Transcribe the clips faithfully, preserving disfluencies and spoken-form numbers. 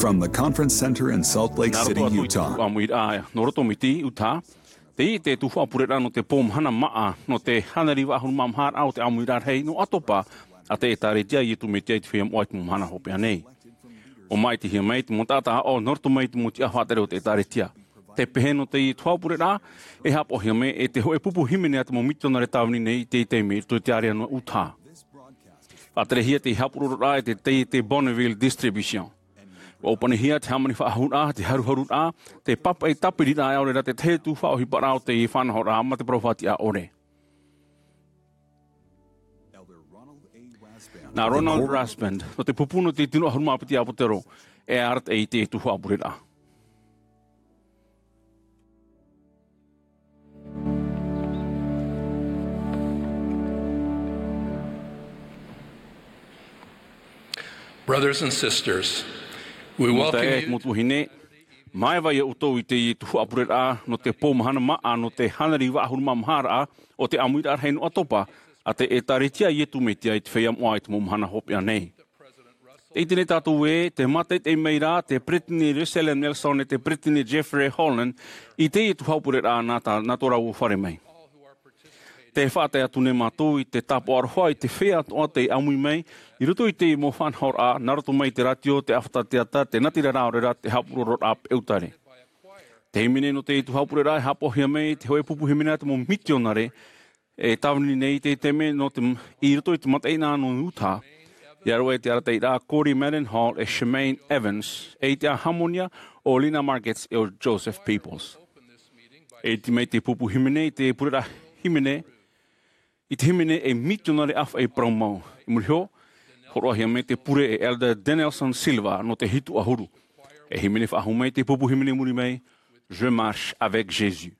From the Conference Center in Salt Lake Nā roto City, atu i te Utah. ʻāmuiraʻa nō roto mai te Utah, tei te tuhaʻa pureraʻa nō te pō mahana māʻa, nō te hānere vaʻu ʻahuru mā maha raʻa o te ʻāmuiraʻa rahi nō ʻAtopa, a te ʻĒtāretia a Iesu Mesia i te feiā moʻa i te mau mahana hopeʻa nei. ʻO māʻitihia mai te mau taʻata aʻo nō roto mai te mau tiʻa faʻatere o te ʻĒtāretia. Tē pehe nō teie tuhaʻa pureraʻa, e haʻapaʻohia mai e te hōʻē pupu hīmene a te mau mitionare tāvini nei i teie taime i roto i te ārea nō Utah. Faʻaterehia te haʻapurororaʻa e te, te, te Bonneville Distribution. ʻUa ʻōpanihia te hāmani faʻahou raʻa, te haruharu raʻa, te pāpaʻi tāpiri raʻa, ʻaore rā te tahi atu faʻaʻohiparaʻa o te faʻanahoraʻa mā te parau faʻatiʻa ʻore. Nā Ronald Rasband, nō te pupu nō te tino ʻahuru mā piti ʻāpōsetolo, e arataʻi i te tuhaʻa pureraʻa. Brothers and sisters, we welcome you. Mau tuahine, māeva ia ʻoutou i teie tuhaʻa pureraʻa nō te pō mahana māʻa nō te hānere vaʻu ʻahuru mā maha raʻa o te ʻāmuiraʻa rahi nō ʻAtopa, a te ʻĒtāretia a Iesu Mesia i te feiā moʻa i te mau mahana hopeʻa nei. Tē ʻite nei tātou ē, tē mātaʻitaʻi mai ra te Peresideni Russell M. Nelson e te Peresideni Jeffrey Holland i teie tuhaʻa pureraʻa nā tā, nā tō rāua fare mai. Tē faʻatae atu nei mātou i te tāpaʻo aroha i te feiā atoʻa tei ʻāmui mai i roto i teie mau faʻanahoraʻa, nā roto mai i te rātio, te ʻāfata teata, te natirara, ʻaore rā te haʻapurororaʻa peʻautare. Te hīmene nō teie tuhaʻa pureraʻa e haʻapaʻohia mai te hōʻē pupu hīmene a te mau mitionare e tāvini nei i teie taime nō te, i roto i te mataʻeinaʻa nō Utah. ʻIa roaʻa i te arataʻiraʻa a Corey Mendenhall e Chemaine Evans, e i te hāmonia o Lina Margetts e o Joseph Peoples. E iti mai te pupu hīmene i te pureraʻa hīmene, i te hīmene e mitionare ʻāfaʻi parau mau. I muri iho, hōroʻahia mai te pure e Elder Denelson Silva nō te hitu ʻahuru. E hīmene faʻahou mai te pupu hīmene i muri mai, Je marche avec Jésus.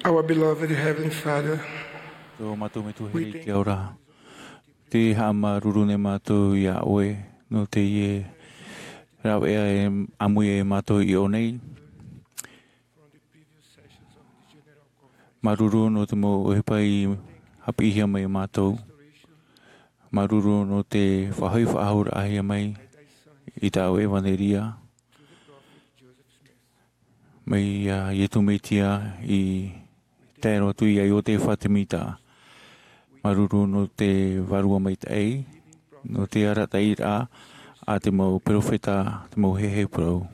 Our beloved Heavenly Father, Tō mātou Metua here i te ao ra. Tē haʻamāuruuru nei mātou iā ʻoe, nō teie rāveʻa e ʻāmui e mātou i ʻō nei. Māuruuru nō te mau ʻohipa i haʻapiʻihia mai e mātou. Māuruuru nō te faʻahoʻi faʻahou raʻahia mai i tāʻu ʻevaneria. Mai iā Iesu Mesia i tae roa atu iā Iotefa Semita. Māuruuru nō te vārua maitaʻi, nō te arataʻiraʻa a te mau perofeta, te mau heheu parau.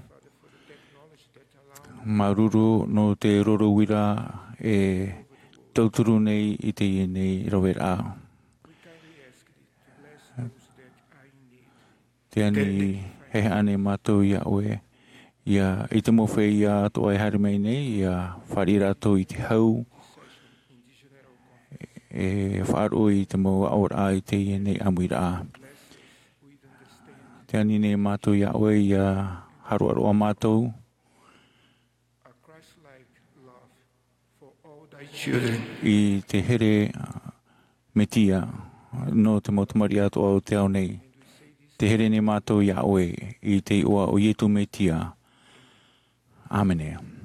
Māuruuru nō te roro uira e tauturu nei i teie nei raveraʻa. Tē ani haʻehaʻa nei mātou iā ʻoe, ʻia, i te mau feiā atoʻa e haere mai nei, ʻia fāriʻi rātou i te hau, e faʻaroʻo i te mau aʻoraʻa i teie nei ʻāmuiraʻa. Tē ani nei mātou iā ʻoe, ʻia hāroʻaroʻa mātou i te here, ā, Mesia, nō te mau tamariʻi atoʻa o te ao nei. Tē here nei mātou iā ʻoe, i te iʻoa o Iesu Mesia. ʻĀmene.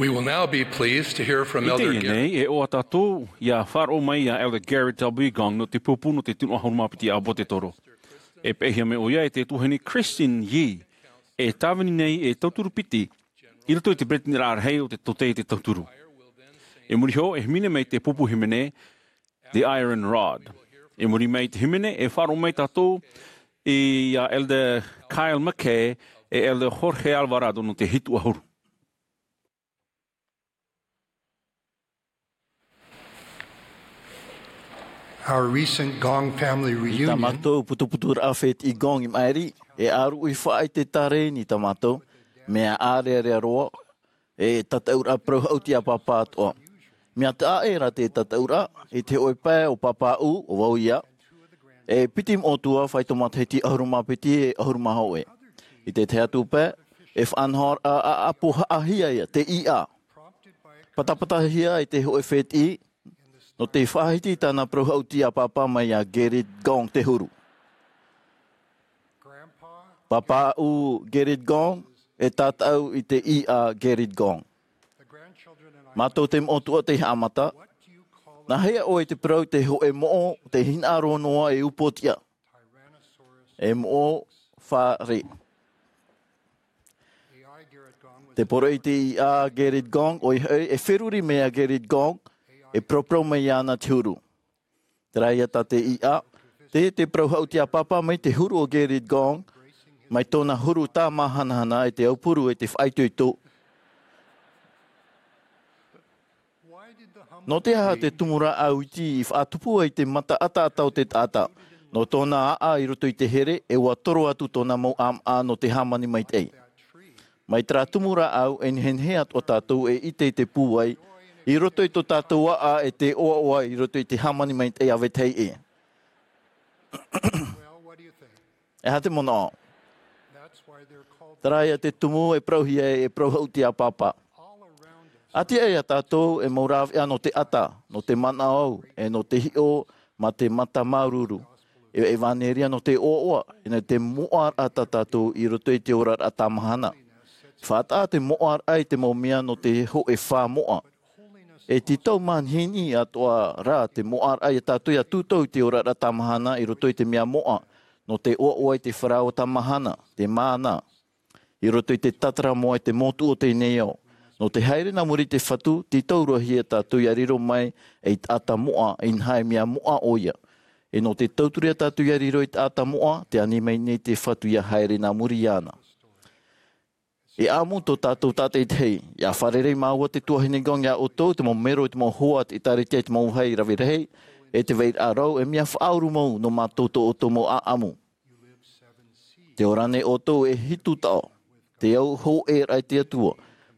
We will now be pleased to hear from I Elder teie Gary. Nei, e ʻoaʻoa tātou, ʻia faʻaroʻo mai ia Elder Gary W. Gong nō te pupu nō te tino ʻahuru mā piti ʻāpōsetolo. E peʻehia mai ʻoia e te tuahine Christine Yee, e tāvini nei e tauturu piti, i roto i te peretiteni rahi o te tōtaiete tauturu. I muri iho, e hīmene mai te pupu hīmene, The Iron Rod. I muri mai te hīmene, e faʻaroʻo mai tātou ia Elder Kyle McKay, e Elder Jorge Alvarado nō te hitu ʻahuru. Our recent Gong family reunion. Tā mātou putuputuraʻa fētiʻi Gong i maʻiri, e ʻāruʻi faʻaʻite tāreini tā mātou, mea ʻārearea roa, e tataʻuraʻa parau haʻuti a Pāpā atoʻa. Mea taʻa ʻē rā te tataʻuraʻa, i te hōʻē pae o Pāpāʻu, ʻo vau ia, e piti moʻotua, faito matahiti ʻahuru mā piti e ʻahuru mā hōʻē. I te tahi atu pae, e faʻanahoraʻa ʻāʻapu haʻahia ia, te ʻīʻā. Patapatahia e te hōʻē fētiʻi, nō te faʻahiti i tāna parau haʻuti a Pāpā mai ia Gerrit Gong te huru. Pāpāʻu Gerrit Gong, e tātaʻu i te ʻīʻā Gerrit Gong. Mātou te moʻotua tei haʻamata. Nā hea ʻoe i te parau i te hōʻē moʻo, te hinaʻaro noa e upoʻotiʻa? E moʻo fare. Te poroʻi i te ʻīʻā Gerrit Gong, ʻoia hoʻi, e feruri mai ia Gerrit Gong, e paraparau mai iāna te huru. Terā ia tā te ʻīʻā, te, te parau haʻuti a Pāpā mai te huru o Gerrit Gong, mai tōna huru tāmāhanahana e te aupuru e te faʻaitoito. Nō te aha te tumu rāʻau iti i faʻatupu ai te mata ʻataʻata o te taʻata? Nō tōna aʻa i roto i te here, e ʻua toro atu tōna mau ʻāmaʻa nō te hāmani maitaʻi. Mai terā tumu rāʻau, e nehenehe atoʻa tātou e ʻite i te pūai, i roto i tō tātou aʻa e te ʻoaʻoa i roto i te hāmani maitaʻi a vetahi ʻē. E aha te manaʻo? Terā ia te tumu e parauhia e, e parau haʻuti a Pāpā. ʻĀtīaʻe ia tātou e mau rāveʻa nō te ʻata, nō te manaʻo, e nō te hiʻo, mā te mata māuruuru. E, ʻevaneria nō te ʻoaʻoa, e nō te moʻaraʻa tā tātou i roto i te oraraʻa tāmāhana. Faʻataʻa te moʻaraʻa i te mau mea nō te hōʻē fā moʻa. E tītau manihini atoʻa rā te moʻaraʻa ia tātou ʻia tūtau i te oraraʻa tāmāhana i roto i te mea moʻa, nō te ʻoaʻoa i te faraoa tāmāhana, te māna, i roto i te tātara moʻa i te motu o teie nei ao. Nō te haere nā muri i te Fatu, tītau roa hia tātou ʻia riro mai ei taʻata moʻa, inaha e mea moʻa ʻoia. E nō te tauturu ia tātou ʻia riro ei taʻata moʻa, tē ani mai nei te Fatu ʻia haere nā muri iāna. E ʻamu tō tātou tātaʻitahi, ʻia fārerei māua te tuahine Gong iā ʻoutou, te mau mero, te mau hoa, te ʻēkālesia, te mau vāhi rave rahi, e te vairaʻa rau, e mea faʻauru mau nō mātou tō ʻoutou mau ʻāʻamu. Tē ora nei ʻoutou e hitu taʻo, te au hōʻēraʻa i te Atua,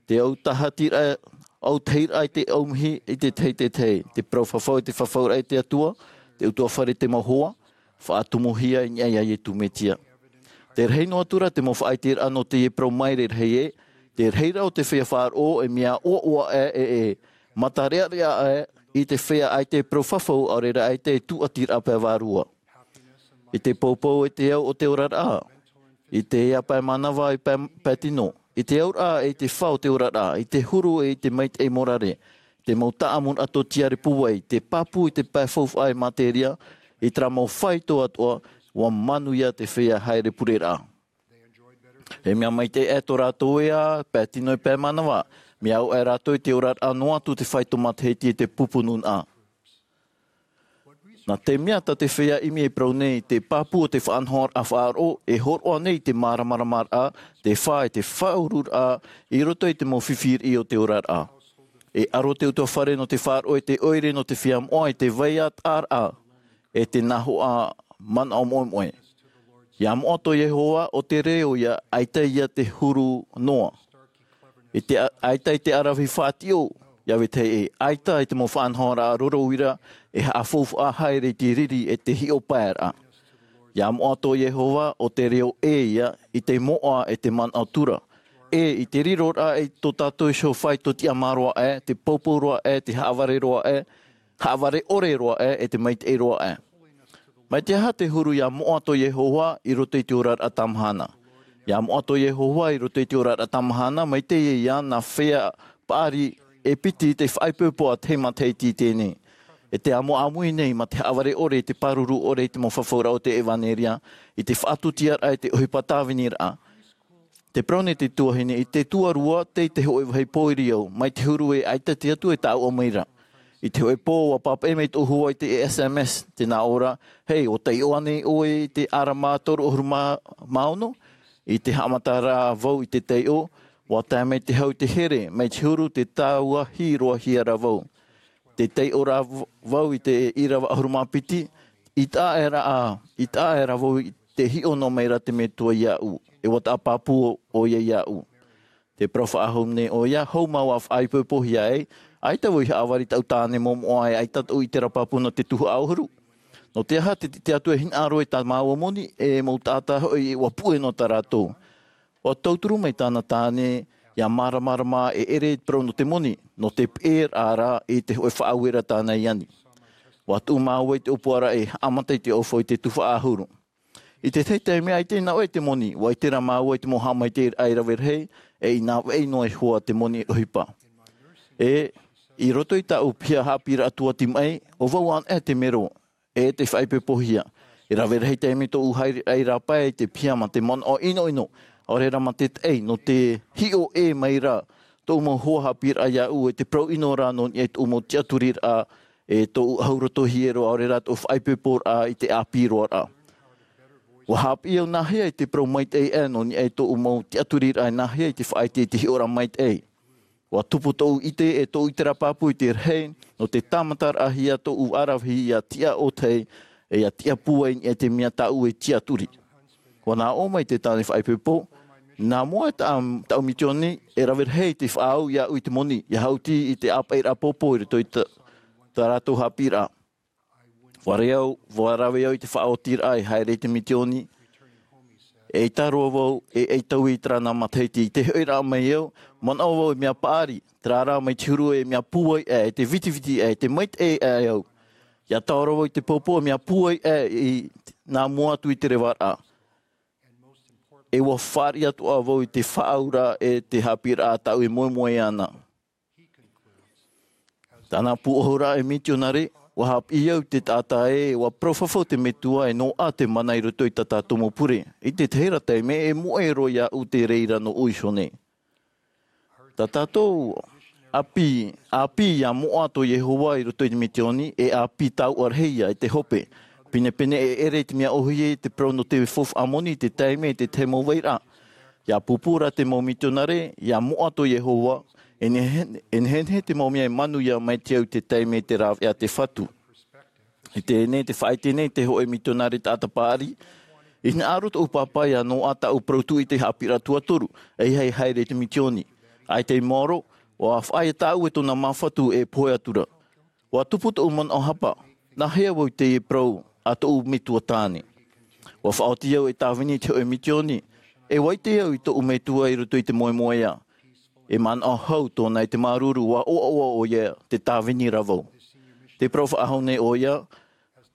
te au tahatiraʻa, au tahiraʻa i te ʻaumihi i te tahi, te tahi, te parau fafau i te fafauraʻa i te Atua, te ʻutuāfare i te mau hoa, faʻatumuhia i niʻa iā Iesu Mesia. Tē rahi noa atu ra te mau faʻaʻiteraʻa nō teie parau maere rahi ē, te rahiraʻa o te feiā faʻaroʻo e mea ʻoaʻoa aʻe e, e matarearea aʻe i te feiā ʻaita e parau fafau, ʻaore rā ʻaita e tūʻatiraʻa pae vārua. I te poupou e te au o te oraraʻa, i te ea pae mānava, i pae, pae tino, i te auraʻa e i te fā o te oraraʻa, i te huru e i te maitaʻi morare, te mau taʻamuraʻa tōtiare pūai, te pāpū i te pae faufaʻa e materia, i terā mau faito atoʻa, ʻua manuia te feiā haere pureraʻa. E mea maitaʻi aʻe tō rātou ea, pae tino e pae mānava, mea au aʻe rātou i te oraraʻa noa atu te faito matahiti e te pupu nūnaʻa. Nā te mea tā te feiā ʻimi e parau nei, te pāpū o te faʻanahoraʻa faʻaroʻo, e hōroʻa nei te māramaramaraʻa, te fā e te faʻaururaʻa, i roto i te mau fifi riʻi o te oraraʻa. E aro te ʻutuāfare nō te faʻaroʻo e te ʻoire nō te feiā moʻa i te vai ʻātaʻaraʻa, e te nahoʻa manaʻo moʻemoʻe. ʻIa moʻa tō Iehova, ʻo te reo ia, ʻaita ia te huru noa. I te a-, ʻaita i te ʻaravihi faʻatiʻo, iā vetahi ē, ʻaita i te mau faʻanahoraʻa roro uira, e haʻafaufaʻa haere i te riri e te hiʻo paeraʻa. ʻIa moʻa tō Iehova, ʻo te reo ē ia, i te moʻa e te manaʻo tura. E i te riro ra i tō tātou iho faito tiʻamā roa aʻe, te poupou roa aʻe, te haʻavare roa aʻe, haʻavare ʻore roa aʻe, e te maitaʻi roa aʻe. Mai te aha te huru ʻia moʻa tō Iehova i roto i te oraraʻa tāmahana? ʻIa moʻa tō Iehova i roto i te oraraʻa tāmahana, mai teie ia nā feiā paʻari e piti i te faʻaipoipo a te matahiti i teie nei. E te ʻāmuiraʻa nei mā te haʻavare ʻore, te pāruru ʻore i te mau fafauraʻa o te ʻevanelia, i te faʻatutiraʻa i te ʻohipa tāviniraʻa. Te parau nei te tuahine, i te tuarua, tei te hōʻē vāhi pōiri au, mai te huru e ʻaita te Atua e tāuʻa mai ra. I te hōʻē pō, ʻua pāpaʻi mai tōʻu hoa i te S M S, tē nā ʻō ra, "Hei, ʻua taiʻo ānei ʻoe i te ʻārama toru ʻahuru mā ono?" I te haʻamata ra vau i te taiʻo, ʻua tae mai te hau i te here, mai te huru tē tāuʻahia ra vau. Tē taiʻo ra v-, vau i te ʻīrava ʻahuru mā piti, i tae ra, i tae ra vau i te hiʻo noa mai ra te Metua iāʻu, e ʻua taʻa pāpū ʻoia iāʻu. Te parau faʻahou nei ʻoia, hou māua faʻaipoipohia ai, ʻaita vau i haʻavare i taʻu tāne momoʻa e ʻaita tōʻu ʻiteraʻa pāpū nō te tuhaʻa ʻahuru. Nō te aha? Te, te Atua e hinaʻaro i tā māua moni, e mau taʻata hoʻi ʻua puʻe noa tā rātou. ʻUa tauturu mai tāna tāne, ʻia māramarama e ʻere i te parau nō te moni, nō te peʻeraʻa ra i te hōʻē faʻaueraʻa tāna i ani. ʻUa tuʻu māua i te ʻōpuaraʻa e haʻamata i te ʻaufau i te tuhaʻa ʻahuru. I te tahi taime ʻaita i nā ʻō i te moni, ʻua ʻite ra māua i te mau haʻamaitaʻiraʻa e rave rahi, e i nā vaʻi noa iho ā te moni ʻohipa. E, i roto i tāʻu piha haʻapiʻiraʻa tuati maʻi, ʻo vau anaʻe te mero, e te faʻaipoipohia. E rave rahi taime tōʻu haereraʻa i rāpae i te piha mā te manaʻo ʻinoʻino, ʻaore rā mā te taʻi, nō te hiʻo ʻē mai ra tōʻu mau hoa haʻapiʻiraʻa iāʻu, e te parau ʻino ra nō niʻa i tōʻu mau tiʻaturiraʻa, e tōʻu ʻahu roto hiero, ʻaore rā tōʻu faʻaipoiporaʻa i te ʻāpī roa ra. ʻUa haʻapiʻi au nāhea i te parau maitaʻi aʻe nō niʻa i tōʻu mau tiʻaturiraʻa, e nāhea i te faʻaʻite i te hiʻoraʻa maitaʻi. ʻUa tupu tōʻu ʻite e tōʻu ʻiteraʻa pāpū i te rahi, nō te tāmataraʻahia tōʻu ʻaravihi ʻia tiʻa ʻōtahi, e ʻia tiʻa pūai i niʻa i te mea tāʻu e tiʻaturi. ʻUa nā ʻō mai te tāne faʻaipoipo, nā mua i tā, tāʻu mitioni, e rave rahi te faʻaau iāʻu i te moni, ʻia haʻuti i te ʻāpaʻiraʻa pōpō i roto i tā, tā rātou haʻapiʻiraʻa. ʻUa rave au, ʻua rave au i te faʻaotiraʻa e haere i te mitioni. ʻEita roa vau, e ʻeita vau i terā nā matahiti, i te hoʻiraʻa mai au, manaʻo vau e mea paʻari, terā rā mai te huru e mea pūai aʻe, e te vitiviti aʻe, e te maitaʻi aʻe au. ʻIa taoro vau i te pōpō e mea pūai aʻe i nā mua atu i te revaraʻa. E ʻua fāriʻi atoʻa vau i te faʻaauraʻa e te haʻapiʻiraʻa tāʻu e moemoeā na. Tāna pūʻohuraʻa e mitionare, ʻua haʻapiʻi au i te taʻata ē, ʻua parau fafau te Metua e noaʻa te mana i roto i tā tātou mau pure. I te tahi ra taime, e moʻe roa iāʻu te reira nō ʻoe iho nei. Tā tātou ʻāpī, ʻāpī ʻia moʻa tō Iehova i roto i te mitioni, e ʻāpī taoʻa rahi ïa i te hope. Pinepine e ʻere i te mea ʻōhie i te parau nō te faufaʻa moni, te taime, te tahi mau vairaʻa. ʻIa pūpū ra te mau mitionare, ʻia moʻa tō Iehova, e nehenehe, e nehenehe te mau mea e manuia mai te au i te taime, te rāveʻa, te fatu. I teie nei, tē faʻaʻite nei te hōʻē mitionare taʻata paʻari, i hinaʻaro tōʻu pāpā ʻia noaʻa tāʻu parau tūʻite haʻapiʻiraʻa tuatoru, ʻeiaha e haere i te mitioni. ʻAita i maoro, ʻua faʻaea tāʻu e tōna māfatu e pohe atu ra. ʻUa tupu tōʻu manaʻo hapa, nāhea vau i teie parau a tōʻu metua tāne? ʻUa faʻaoti au e tāvini i te hōʻē mitioni, e ʻua ʻite au i tōʻu Metua i roto i te moemoeā. E manaʻo hau tōna i te māuruuru, ʻua ʻoaʻoa ʻoia, tē tāvini ra vau. Tē parau faʻahou nei ʻoia,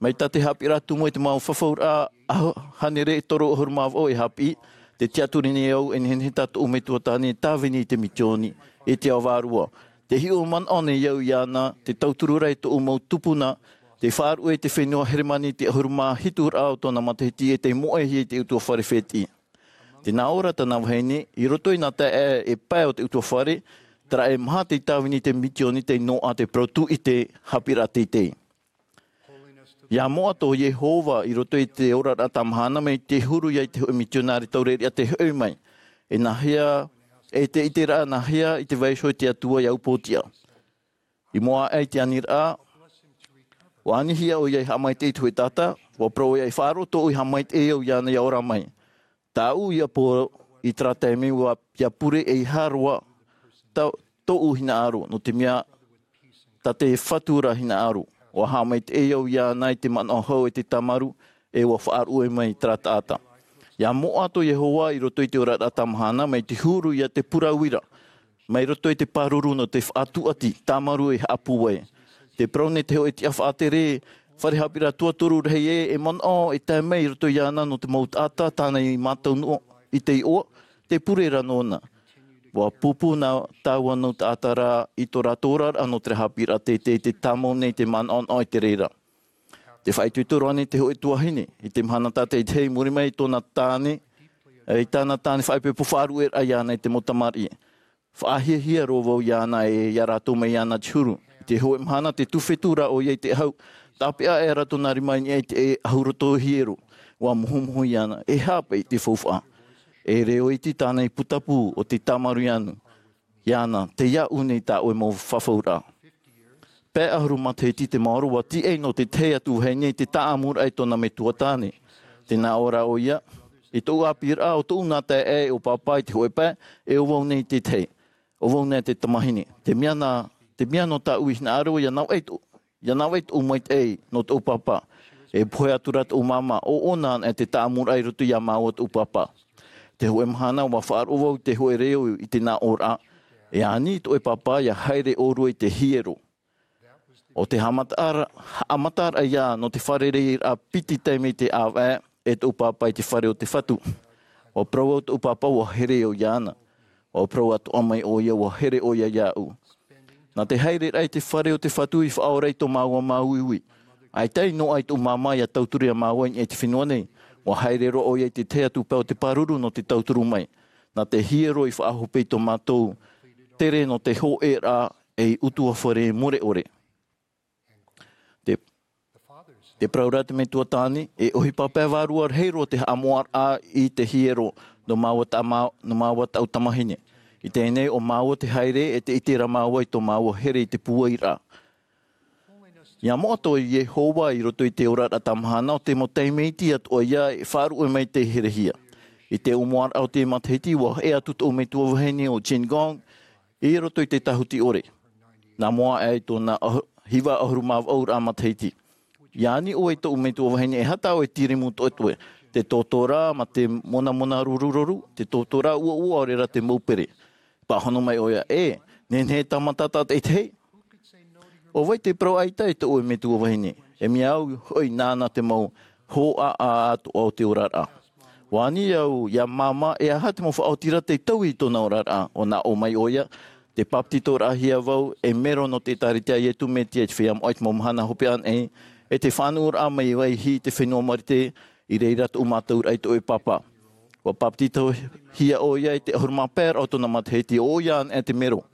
mai tā te haʻapiʻiraʻa tumu e te mau fafauraʻa ʻahu-, hānere e toru ʻahuru mā vaʻu e haʻapiʻi, tē tiʻaturi nei au e nehenehe tā tōʻu metua tāne e tāvini i te mitioni, i te ao vārua. Tē hiʻo manaʻo nei au iāna, tē tauturu ra i tōʻu mau tupuna, tē faʻaruʻe i te fenua Heremani i te ʻahuru mā hitu raʻa o tōna matahiti e tē moʻehia i te ʻutuāfare fētiʻi. Tē nā ʻō ra tāna vahine, i roto i nā taeaʻe e pae o te ʻutuāfare, terā e maha tei tāvini i te mitioni, tei noaʻa te parau tūʻite haʻapiʻiraʻa teitei. ʻIa moʻa tō Iehova i roto i te oraraʻa tāmahana mai te huru ïa i te hōʻē mitionare taureʻareʻa tē hoʻi mai. E nāhea, e te ʻiteraʻa nāhea i te vaiiho i te Atua ʻia upootiʻa. I mua aʻe i te aniraʻa, ʻua anihia ʻoia e haʻamaitaʻi i te hōʻē taʻata, ʻua parau ʻoia e faʻaroʻo tōʻu e haʻamaitaʻi au iāna ʻia ora mai. Tāʻu ïa pō i terā taime ʻua, ʻia pure ʻeiaha roa, tā, tōʻu hinaʻaro, nō te mea, tā te Fatu ra hinaʻaro. ʻUa haʻamaitaʻi au iāna i te manaʻo hau e te tāmaru, e ʻua faʻaruʻe mai terā taʻata. ʻIa moʻa tō Iehova i roto i te oraraʻa tāmahana, mai te huru ïa te purauira, mai roto i te pāruru nō te faʻatūʻati, tāmaru e haʻapūai. Tē parau nei te hōʻē tiʻa faʻatere, fare haʻapiʻiraʻa tuatoru rahi ē, e manaʻo e tae mai i roto iāna nō te mau taʻata tāna i mātau noa i te iʻoa, tē pure ra nōna. Ua pūpū nā tāua nau taʻata ra i tō rātou oraraʻa nō te haʻapiʻiraʻa teitei, te tāmau nei te manaʻonaʻo i te reira. Te faʻaitoito roa nei te hōʻē tuahine, i te mahana tātaʻitahi i muri mai i tōna tāne, i tāna tāne faʻaipoipo faʻaruʻeraʻa iāna e te mau tamariʻi. Faʻahiahia roa vau iāna e ia rātou mai iāna te huru. I te hōʻē mahana te tūfetū rā ʻoia i te ʻahu, tāpeʻa aʻera tōna rima i niʻa i te ʻahu roto hiero. Ua mohomoho iāna, e haʻapaʻo i te faufaʻa. E reo iti tāna i putapū o te tāmarū anu. Iāna, tei iāʻu nei tā ʻoe mau fafauraʻa. Pae ʻahuru matahiti te maoro ua tīaʻi nō te tahi atu vahine i te taʻamuraʻa i tōna metua tāne. Tē nā ʻō ra ʻoia, i tōʻu ʻāpīraʻa ʻo tōʻu nā taeaʻe ʻo pāpā i te hōʻē pae, e ʻo vau nei te tahi. ʻO vau nei te tamahine. Te mea nā, te mea nō tāʻu i hinaʻaro ia navaʻi tō, ia navaʻi tōʻu maitaʻi nō tōʻu pāpā. E pohe atu ra tōʻu māmā, ʻo ʻōna anaʻe te taʻamuraʻa i roto iā māua tōʻu pāpā. Te hōʻē mahana ua faʻaroʻo vau i te hōʻē reo i te nā ʻōraʻa. E ani tō ʻoe pāpā ia haere ʻōrua i te hiero. ʻO te haʻamataʻara-, haʻamataraʻa ia nō te fārereiraʻa piti taime i te ʻāvaʻe e tōʻu pāpā i te fare o te Fatu. Ua parau au tōʻu pāpā ua here au iāna. Ua parau atoʻa mai ʻoia ua here ʻoia iāʻu. Nā te haereraʻa i te fare o te Fatu i faʻaora i tō māua māuiui. ʻAita i noaʻa i tōʻu māmā ia tauturu iā māua i niʻa i te fenua nei. Ua haere roa ʻoia i te tahi atu pae o te pāruru nō te tauturu mai. Nā te hiero i faʻahope i tō mātou tere nō te hōʻēraʻa ei ʻutuāfare mure ʻore. Te, te parau ra te metua tāne, e ʻohipa pae vārua rahi roa te haʻamoʻaraʻa i te hiero nō māua ta-, mā-, nō māua tāʻu tamahine. I teie nei ʻo māua te haere e te ʻite ra māua i tō māua here i te pūairaʻa. Ia moʻa tō Iehova i roto i te oraraʻa tāmahana ʻo te mau taime iti atoʻa ia e faʻaruʻe mai te herehia. I te ʻōmuaraʻa o te matahiti ua haʻi atu tōʻu metua vahine ʻo Jean Gong i roto i te tāhuti ʻore. Nā mua aʻe i tōna ʻahu-, hiva ʻahuru mā vaʻu ra matahiti. Ia ani ʻoe i tōʻu metua vahine, e aha tā ʻoe tīrīmu toetoe? Te tōtōrā mā te monamona rurururu, te tōtōrā uaua ʻaore rā te mau pere. Pāhono mai ʻoia, e, nehenehe e tāmata tātaʻitahi. ʻO vai te parau ʻaita e tō ʻoe metua vahine? E mea au hoʻi nāna te mau hōʻaʻa atoʻa o te oraraʻa. Ua ani au iā māmā, e aha te mau faʻaotiraʻa tei taui i tōna oraraʻa? ʻO nā ʻō mai ʻoia, tē papetitoraʻahia vau ei mero nō te ʻĒtārētia a Iesu Mesia i te feiā moʻa i te mau mahana hopeʻa nei, e te faʻanuʻuraʻa mai vaihi i te fenua Marite, i reira tōʻu mātauraʻa i tō ʻoe pāpā. Ua papetitohia ʻoia i te ʻahuru mā pae raʻa o tōna matahiti, ʻo ʻoia anaʻe te mero.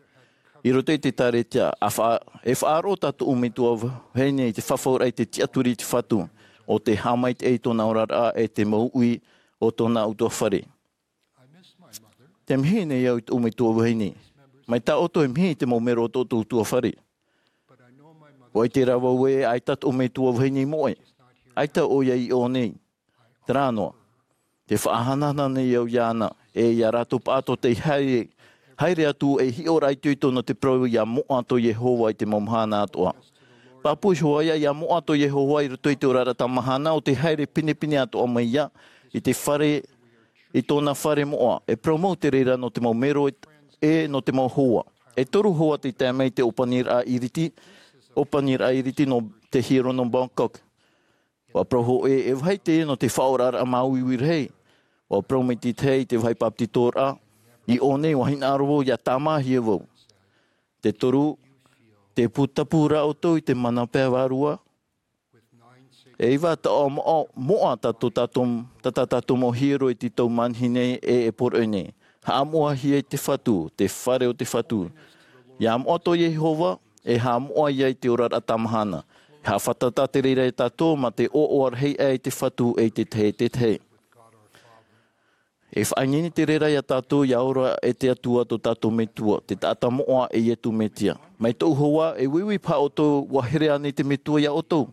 I roto i te ʻĒtārētia, a fa-, e faʻaroʻo tā tōʻu metua vahine i te fafauraʻa i te tiʻaturi i te Fatu, ʻo te haʻamaitaʻi i tōna oraraʻa e te mau uʻi o tōna ʻutuāfare. Tē mihi nei au i tōʻu metua vahine. Mai tā ʻoutou e mihi i te mau mero o tō ʻoutou ʻutuāfare. ʻUa ʻite rā vau ē, ʻaita tōʻu metua vahine i moʻe. ʻAita ʻoia i ʻō nei. Terā noa. Tē faʻahanahana nei au iāna, e ia rātou pāʻatoʻa tei haere, haere atu ei hiʻoraʻa itoito nō te parau ia moʻa tō Iehova i te mau mahana atoʻa. Pāpū iho ā ia, ia moʻa tō Iehova i roto i te oraraʻa tāmahana ʻo te haere pinepine atoʻa mai ia i te fare, i tōna fare moʻa. E parau mau te reira nō te mau mero e, e nō te mau hoa. E toru hoa tei tae mai i te ʻōpaniraʻa iriti, ʻōpaniraʻa iriti nō te hiero nō Bangkok. ʻUa parau hōʻē, e vāhi teie nō te faʻaoraraʻa māuiui rahi. ʻUa parau mai te tahi i te vāhi papetitoraʻa, i ʻō nei ʻua hinaʻaro vau ia tāmāhia vau. Te toru, tē putapū ra ʻoutou i te mana pae vārua. E iva taoʻa moʻa, moʻa tā tō tātou, tā, tā tātou mau hiero i te tau manihini e, e poroʻi nei. Haʻamoʻahia i te Fatu, te fare o te Fatu. Ia moʻa tō Iehova, e haʻamoʻa ia i te oraraʻa tāmahana. E haʻafātata te reira ia tātou mā te ʻoaʻoa rahi aʻe i te Fatu e i te tahi, te tahi. E faʻaineine te reira ia tātou ia ora e te Atua tō tātou Metua, te taʻata moʻa e Iesu Mesia. Mai tōʻu hoa, e uiui paha ʻoutou, ʻua here ānei te Metua ia ʻoutou?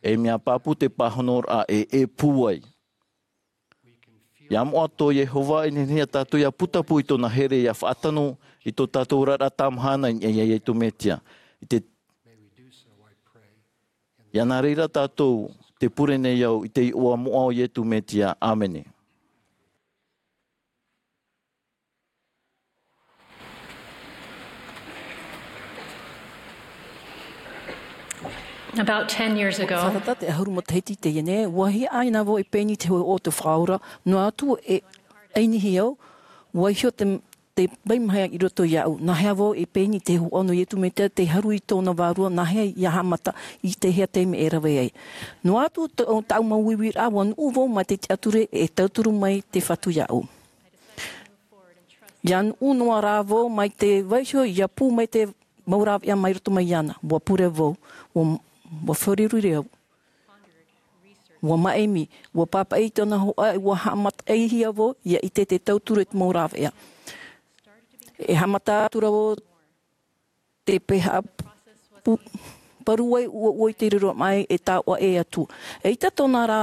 E mea pāpū te pāhonoraʻa e, e pūai. Ia moʻa tō Iehova, e nehenehe ia tātou ia putapū i tōna here ia faʻatano i tō tātou oraraʻa tāmahana i niʻa iā Iesu Mesia. I te, ia nā reira tātou te pure nei au i te iʻoa moʻa o Iesu Mesia. ʻĀmene. About ten years ago, Faʻatata te ʻahuru matahiti i teie nei, ʻua hiaʻai na vau e pēni i te hōʻē ʻō o te Faʻaora, noa atu e ʻainihi au, ʻua iho te, te vai maha i roto iāʻu. Nāhea vau e pēni te hōhoʻa nō Iesu Mesia, te haru i tōna vārua, nāhea ia haʻamata i te hea taime e rave ai. Noa atu tō, tāʻu mau uiuiraʻa, ʻua nuʻu vau mai te tiʻaturi e tauturu mai te Fatu iāʻu. ʻIa nuʻu noa rā vau mai te vaiho, ʻia pū mai te mau rāveʻa mai roto mai iāna. ʻUa pure vau, ʻua, ʻua fāriʻi au. ʻUa maʻimi, ʻua pāpaʻi i tōna hōhoʻa, ʻua haʻamataʻihia vau, ʻia ʻite te tauturu e te mau rāveʻa. E haʻamata atu ra vau te pēhea pu-, paru ai ʻua ʻoe i te riro mai e taoʻa e atu. ʻEita tōna rā,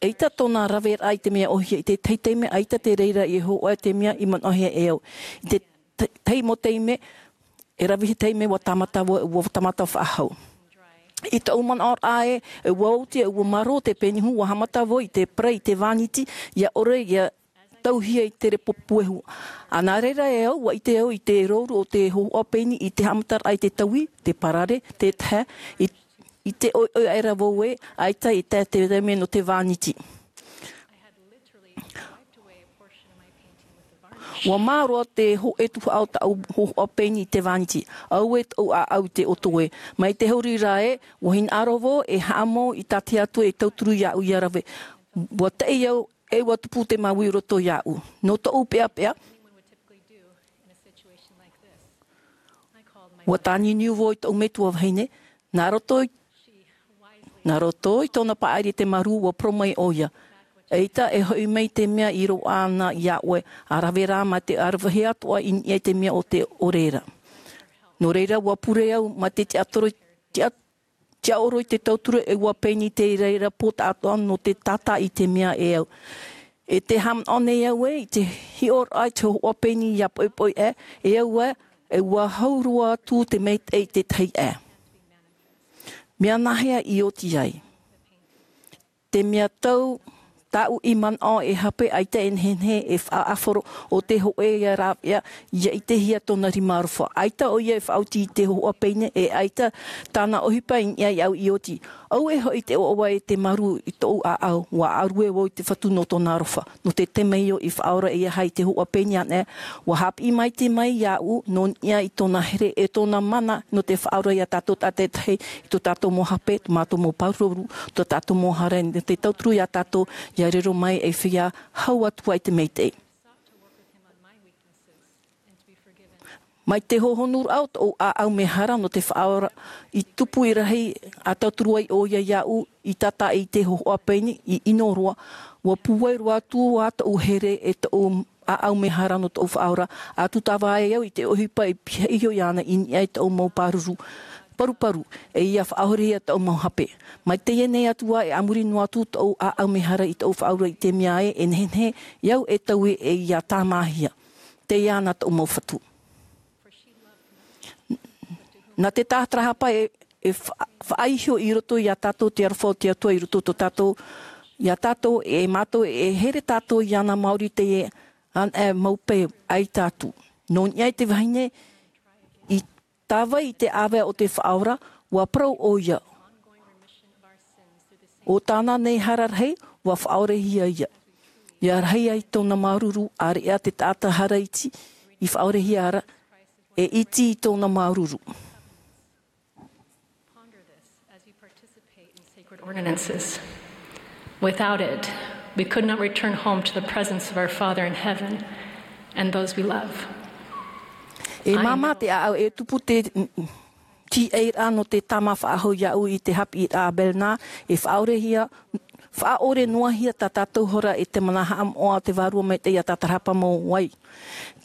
ʻeita tōna raveraʻa i te mea ʻōhie, i te tahi taime, ʻaita te reira i hōhoʻa i te mea i manaʻohia e au. I te ta-, tahi mau taime, e rave taime ʻua tāmata vau, ʻua tāmata faʻahou. I tōʻu manaʻoraʻa ē, ʻua oti, ʻua marō te pēni hū, ʻua haʻamata vau i te parai i te vāniti, ʻia ʻore, ʻia tauhia i te repo puehu. ʻA nā reira e au, ʻua ʻite au i te rouru o te hōhoʻa pēni i te haʻamataraʻa i te taui, te parare, te tahe, i, i te ʻoiʻoi aʻera vau ē, ʻaita i te, te taime nō te vāniti. ʻUa mā roa te hōʻē tuhaʻa o tāʻu hōhoʻa pēni i te vāniti. Auē tōʻu ʻāʻau i te ʻoto ē. Mai te huri ra ē, ʻua hinaʻaro vau e haʻamau i tā te Atua e tauturu iāʻu ʻia rave. ʻUa taʻi au, e ʻua tupu te mauī i roto iāʻu. Nō tōʻu peʻapeʻa, ʻua tāniuniu vau i tōʻu metua vahine, nā roto i, nā roto i tōna paʻari i te marū, ʻua parau mai ʻoia. ʻEita e hoʻi mai te mea i roaʻa ana iā ʻoe, ʻa rave rā mā te ʻaravihi atoʻa i niʻa i te mea o te ʻore ra. Nō reira, ʻua pure au mā te tiʻatoro, tiʻa-, tiʻaoro i te tauturu e ʻua pēni te reira pō taʻatoʻa nō te tātā i te mea e au. E te haʻamanaʻo nei au ē, i te hiʻoraʻa i te hōhoʻa pēni ʻia poʻipoʻi ē, e au ē, e ʻua hau roa atu te maitaʻi i te tahi ē. Mea nāhea i oti ai? Te mea tau, tāʻu i manaʻo e hape ʻaita e nehenehe e faʻaʻāfaro o te hōʻē ia rāveʻa, ʻia ʻitehia tōna rima aroha. ʻAita ʻoia e faʻaoti i te hōhoʻa pēni, e ʻaita tāna ʻohipa i niʻa iāʻu i oti. Auē hoʻi te ʻoaʻoa e te marū i tōʻu ʻāʻau, ʻua ʻārue vau i te Fatu nō tōna aroha. Nō te temeio i faʻaora ʻeiaha i te hōhoʻa pēni anaʻe, ʻua haʻapiʻi maitaʻi mai iāʻu, nō niʻa i tōna here e tōna mana, nō te faʻaora iā tātou tātaʻitahi, i tō tātou mau hape, tō mātou mau pāruru, tō tātou mau hara, nō te tauturu iā tātou, ʻia riro mai ei feiā hau atu ai te maitaʻi. Mai te hohonuraʻa o tōʻu ʻāʻau mehara nō te faʻaora, i tupu i rahi ʻa tauturu ai ʻoia iāʻu, i tātaʻi i te hōhoʻa pēni, i ʻino roa, ʻua pūai roa atu ā tōʻu here e tōʻu ʻāʻau mehara nō tōʻu faʻaora, ʻa tūtava ai au i te ʻohipa i pihaʻi iho iāna i niʻa i tōʻu mau pāruru, paruparu, e ʻia faʻaʻorehia tōʻu mau hape. Mai teie nei atu ā, e a muri noa atu tōʻu ʻāʻau mehara i tōʻu faʻaora i te mea ē, e nehenehe, iāʻu e taui e ʻia tāmāhia. Teie ana tōʻu mau Fatu. Nā te tātarahapa e, e fa-, faʻaiho i roto iā tātou te aroha o te Atua i roto tō tātou, iā tātou e mātou e here tātou iāna maori teie, anaʻe mau pē ai tātou. Nō niʻa i te vahine, i tāvai i te ʻāvae o te Faʻaora, ʻua parau ʻoia. ʻO tāna nei hara rahi, ʻua faʻaorehia ia. ʻIa rahi ai tōna māuruuru, ʻāreʻa te taʻata hara iti, i faʻaorehia ra, e iti i tōna māuruuru. Ponder this as you participate in sacred ordinances. Without it, we could not return home to the presence of our Father in heaven and those we love. E māmā te ʻāʻau e tupu te, mm, mm, tīaʻiraʻa nō te tāmā faʻahou iāʻu i te haʻapiʻiraʻa a Bernard, e faʻaʻorehia, faʻaʻore noa hia tā tātou hora e te mana haʻamoʻa o te Vārua Maitaʻi ʻia tātarahapa mau ai.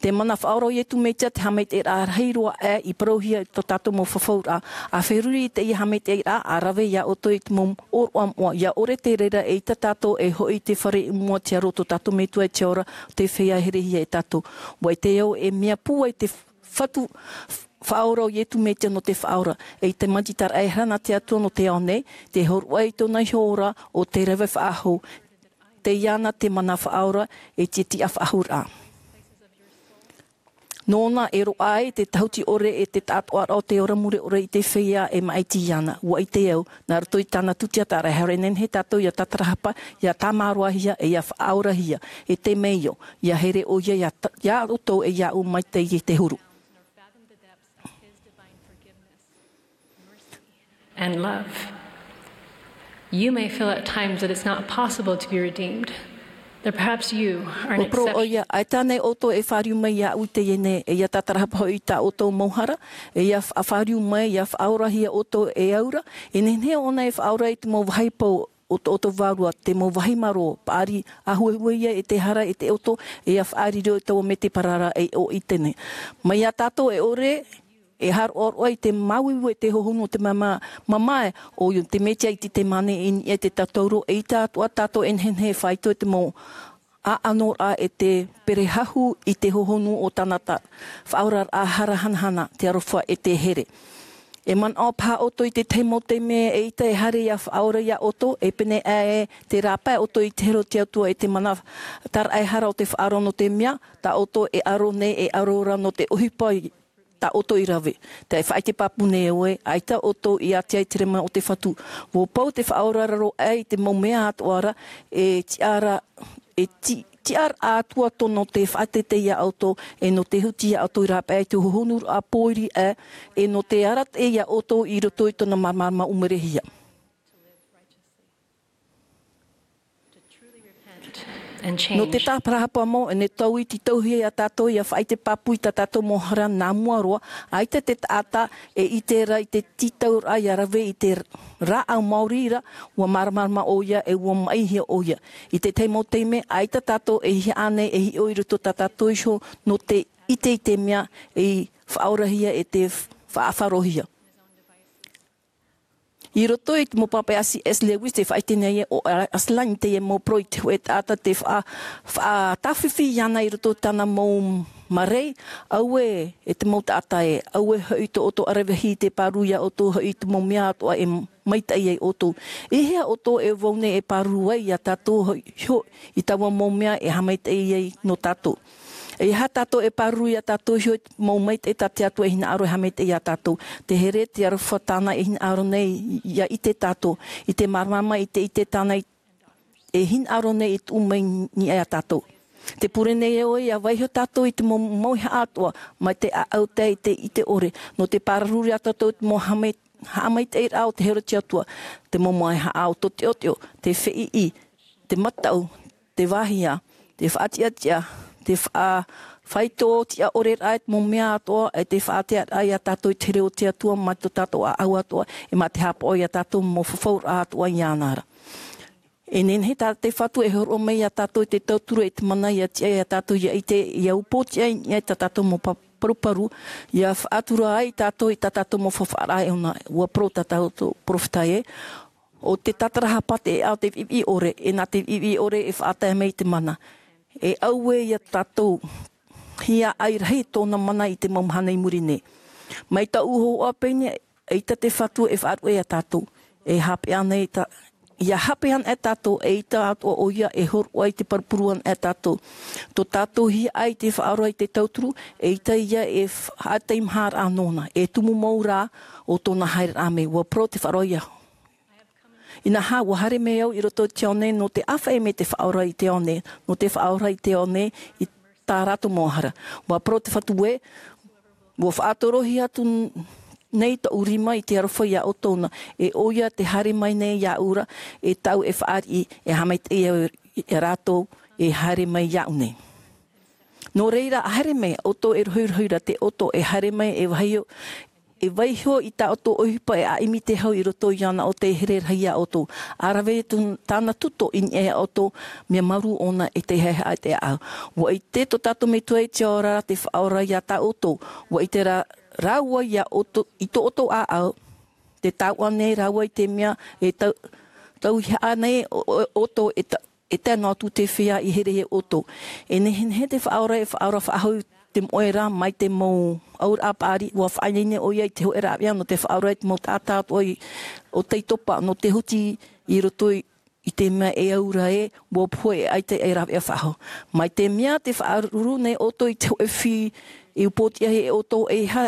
Te mana faʻaora o Iesu Mesia te haʻamaitaʻiraʻa rahi roa aʻe i parauhia i tō tātou mau fafauraʻa. ʻA feruri i teie haʻamaitaʻiraʻa, ʻa rave iā ʻoutou i te mau ʻōroʻa moʻa, ʻia ʻore te reira eʻita tātou e hoʻi i te fare i mua i te aro o tō tātou Metua e te ora, te feiā herehia e tātou. ʻUa ʻite au e mea pūai te Fatu, Faʻaora o Iesu Mesia nō te Faʻaora, e i te mātitaraʻa e hara nā te Atua nō te ao nei, te hōroʻa i tōna iho ora o te rave faʻahou, teie ana te mana faʻaora e te tiʻa faʻahouraʻa. Nōna e roaʻa ai te tahuti ʻore e te taʻatoʻaraʻa o te ora mure ʻore i te feiā e māʻiti iāna. Ua ʻite au, nā roto i tāna tūtia tāraehara e nehenehe tātou ia tātarahapa, ia tāmāroahia, e ia faʻaorahia. E te mea io, ia here ʻoia ia ta-, ia ʻoutou e ia ʻu mai te, i te huru. And love. You may feel at times that it's not possible to be redeemed, that perhaps you are an exception. Ua parau ʻoia, ʻaita nei ʻoutou e fāriu mai iāʻu i teie nei, e ia tātarahapa hoʻi i tā ʻoutou mau hara, e ia fa-, fāriu mai, ia faʻaorahia ʻoutou e aura, e nehenehe ʻōna e faʻaora i te mau vāhi pau o tō ʻoutou vārua, te mau vāhi marō, paʻari, ʻāhuehue ia e te hara e te ʻoto, e ia faʻariro i taua mea te parara e ʻo i teie nei. Mai iā tātou e ʻore, e haroʻaroʻa i te māuiui e te hohonu o te mamae, mamae, ʻoia te Mesia i te, te mane i niʻa i te tatauro, eʻita atoʻa tātou e nehenehe e faito i te mau ʻaʻanoraʻa e te perehahu i te hohonu o tāna ta-, faʻaoraraʻa hara hanahana, te aroha e te here. E manaʻo paha ʻoutou i te tahi mau taime eʻita e haere ia faʻaora iā ʻoutou, e pēneiaʻe te rāpae ʻoutou i te here o te Atua e te mana tāraʻehara o te faʻaroʻo nō te mea, tā ʻoutou e aro nei e aro ra nō te ʻohipa i tā ʻoutou i rave. Tē faʻaʻite pāpū nei au ē, ʻaita ʻoutou i ʻati ai te rema o te Fatu. Ua pau te faʻaoraraʻa i te mau mea atoʻa ra, e tiʻa ra, e ti-, tiʻaraʻa Atua tō nō te faʻateitei iā ʻoutou, e nō te huti iā ʻoutou i rāpae i te hohonuraʻa pōiri ʻē, e nō te arataʻi iā ʻoutou i roto i tōna māramarama ʻumerehia. Nō te tātarahapa mau, e nehenehe tau i te tauhia iā tātou, ia faʻaʻite pāpū i tā tātou mau hara nā mua roa, ʻaita te taʻata e ʻite ra i te tītauraʻa ia rave i te rāʻau maori ra, ua māramarama ʻoia e ua maʻihia ʻoia. I te tahi mau taime, ʻaita tātou e hiʻa nei e hiʻo i roto tā tātou iho nō te ʻite i te mea e faʻaorahia e te faʻafarohia. I roto i te mau pāpaʻi a C S Lewis, tē faʻaʻite nei ē ʻo Aslan i teie mau parau i te hōʻē taʻata tē faʻa-, faʻatāfifi iāna i roto i tāna mau marei, auē e te mau taʻata ē, auē hoʻi tō ʻoutou ʻaravihi i te pāruru iā ʻoutou hoʻi i te mau mea atoʻa e maitaʻi ai ʻoutou. E hea ʻoutou e vau nei e pāruru ai iā tātou hoʻi, hoʻi i taua mau mea e haʻamaitaʻi ai nō tātou. E aha tātou e pāruru iā tātou iho i te mau maitaʻi tā te Atua e hinaʻaro e haʻamaitaʻi iā tātou. Te here, te aroha tāna e hinaʻaro nei ia ʻite tātou. I te māramarama, i te ʻite tāna i, e hinaʻaro nei e tuʻu mai i niʻa iā tātou. Tē pure nei ē ʻoe, ia vaiiho tātou i te mau, mau mauhaʻa atoʻa, mai te ʻāʻau tae i te ʻite ʻore. Nō te pāruru iā tātou i te mau haʻamai-, haʻamaitaʻiraʻa o te here o te Atua. Te mau mauhaʻa o tō teʻoteʻo, te feʻiʻi, te mataʻu, te vāhia, te faʻatiʻatiʻa, te faʻa-, faito tiʻa ʻore ra, e te mau mea atoʻa, e te faʻatearaʻa iā tātou i te here o te Atua, mā tō tātou ʻāʻau atoʻa, e mā te haʻapaʻo iā tātou mau fafauraʻa atoʻa iāna ra. E nehenehe tā te Fatu e hōroʻa mai iā tātou i te tauturu e te mana ia tiʻa iā tātou ia ʻite, ia upootiʻa i niʻa i tā tātou mau pa-, paruparu, ia faʻatura ai tātou i tā tātou mau fafauraʻa e ʻōna, ua parau tā tātou perofeta ē, ʻo te tātarahapa te ʻeʻa o te viʻiviʻi ʻore, e nā te viʻiviʻi ʻore e faʻatae mai i te mana. E auē ia tātou, hiaʻai rahi tōna mana i te mau mahana i muri nei. Mai taua hōhoʻa pēnei, eʻita te Fatu e faʻaruʻe iā tātou. E haʻapaʻo nei tā, ia haʻapaʻo nei tātou, eʻita atoʻa ʻoia e hōroʻa i te paruparu ana iā tātou. Tō tātou hiaʻai i te faʻaora i te tauturu, eʻita ia e f-, haʻateimaharaʻa nōna. E tumu mau rā ʻo tōna haereraʻa mai. Ua parau te Faʻaora iā Inaha, ua haere mai au i roto i te ao nei nō te ʻāfaʻi mai te Faʻaora i te ao nei, nō te faʻaora i te ao nei i tā rātou mau hara. Ua parau te Fatu ē, ua faʻatorohia atu nei tōʻu rima i te aroha iā ʻoutou na, e ʻoia tē haere mai nei iāʻu ra, e tāʻu e fāriʻi, e haʻamaitaʻi au iā rātou e haere mai iāʻu nei. Nō reira, haere mai, ʻoutou e rohirohi ra, te ʻoto e haere mai, e vaiiho, e vaiiho i tā ʻoutou ʻohipa e ʻimi te hau i roto iāna ʻo tē here rahi iā ʻoutou. ʻA rave atu tāna tuto i niʻa iā ʻoutou, mea marū ʻōna e tē haʻehaʻa i te ʻāʻau. ʻUa ʻite tō tātou Metua i te ao ra te Faʻaora iā tā ʻoutou. ʻUa ʻite rā, rāua iā ʻoutou, i tō ʻoutou ʻāʻau, tē taoʻa nei rāua i te mea e tau-, tauihaʻa nei ʻo, ʻo, ʻoutou e ta-, e tae noa atu te feiā i here iā ʻoutou. E nehenehe te Faʻaora e faʻaora faʻahou te moʻe ra mai te mau auraʻa paʻari, ʻua faʻaineine ʻoia i te hōʻē rāveʻa nō te faʻaora i te mau taʻata atoʻa i, ʻo tei topa, nō te huti i roto i, i te mea e aura ē, ʻua pohe e ʻaita e rāveʻa faʻahou. Mai te mea tē faʻaruru nei ʻoutou i te hōʻē fī-, E upootiʻa hia e ʻoutou e ha,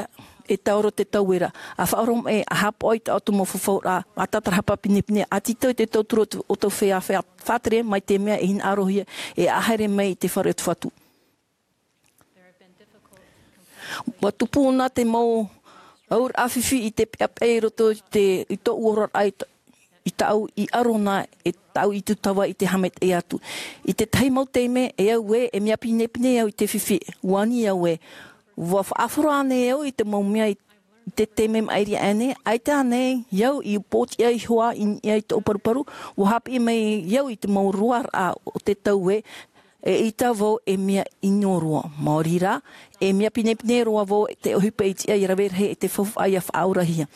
e taoro te tauera. A faʻaroʻo mai, a haʻapaʻo i tā ʻoutou mau fafauraʻa, a tātarahapa pinepine, a tītau i te tauturu o tō ʻoutou feiā, feiā faʻatere mai te mea e hinaʻarohia, e haere mai i te fare o te Fatu. ʻUa tupu na te mau auraʻa fifi i te peʻapeʻa i roto i te, i tōʻu oraraʻa i ta-, i tāʻu i ʻaro na e tāʻu i tūtava i te haʻamaitaʻi atu. I te tahi mau taime, e au ē, e mea pinepine au i te fifi, ʻua ani au ē. ʻUa faʻaʻāfaro ānei au i te mau mea i, i te taime maʻiri aʻe nei, ʻaita ānei au i upootiʻa iho ā i niʻa i tōʻu paruparu, ʻua haʻapiʻi mai au i te mau roaraʻa o te tau ē, eʻita vau e mea ʻino roa. Maori rā, e mea pinepine roa vau te ʻohipa i tiʻa i rave rahi e te faufaʻa ʻia faʻaorahia.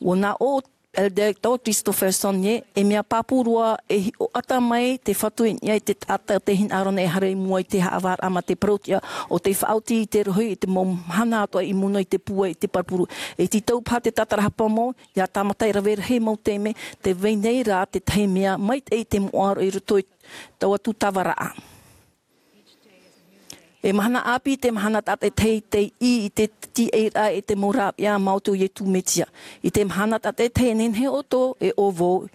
ʻUa nā ʻō Elder Todd Christofferson ē, e mea pāpū roa e hiʻo ʻata mai te Fatu i niʻa i te taʻata o te hinaʻaro nei e haere i mua i te haʻavāraʻa mā te parau-tiʻa ʻo tei faʻaoti i te rohi i te mau mahana atoʻa i mua noa i te pūai i te parapuru. E tītau paha te tātarahapa mau, ʻia tāmata i rave rahi mau taime, tē vai nei rā te tahi mea maitaʻi i te moʻa roa i roto i taua tūtavaraʻa. E mahana ʻāpī te mahana tātaʻitahi tei ʻī i te tīaʻiraʻa e te mau rāveʻa maoti o Iesu Mesia. I te mahana tātaʻitahi e nehenehe ʻoutou e ʻo vau,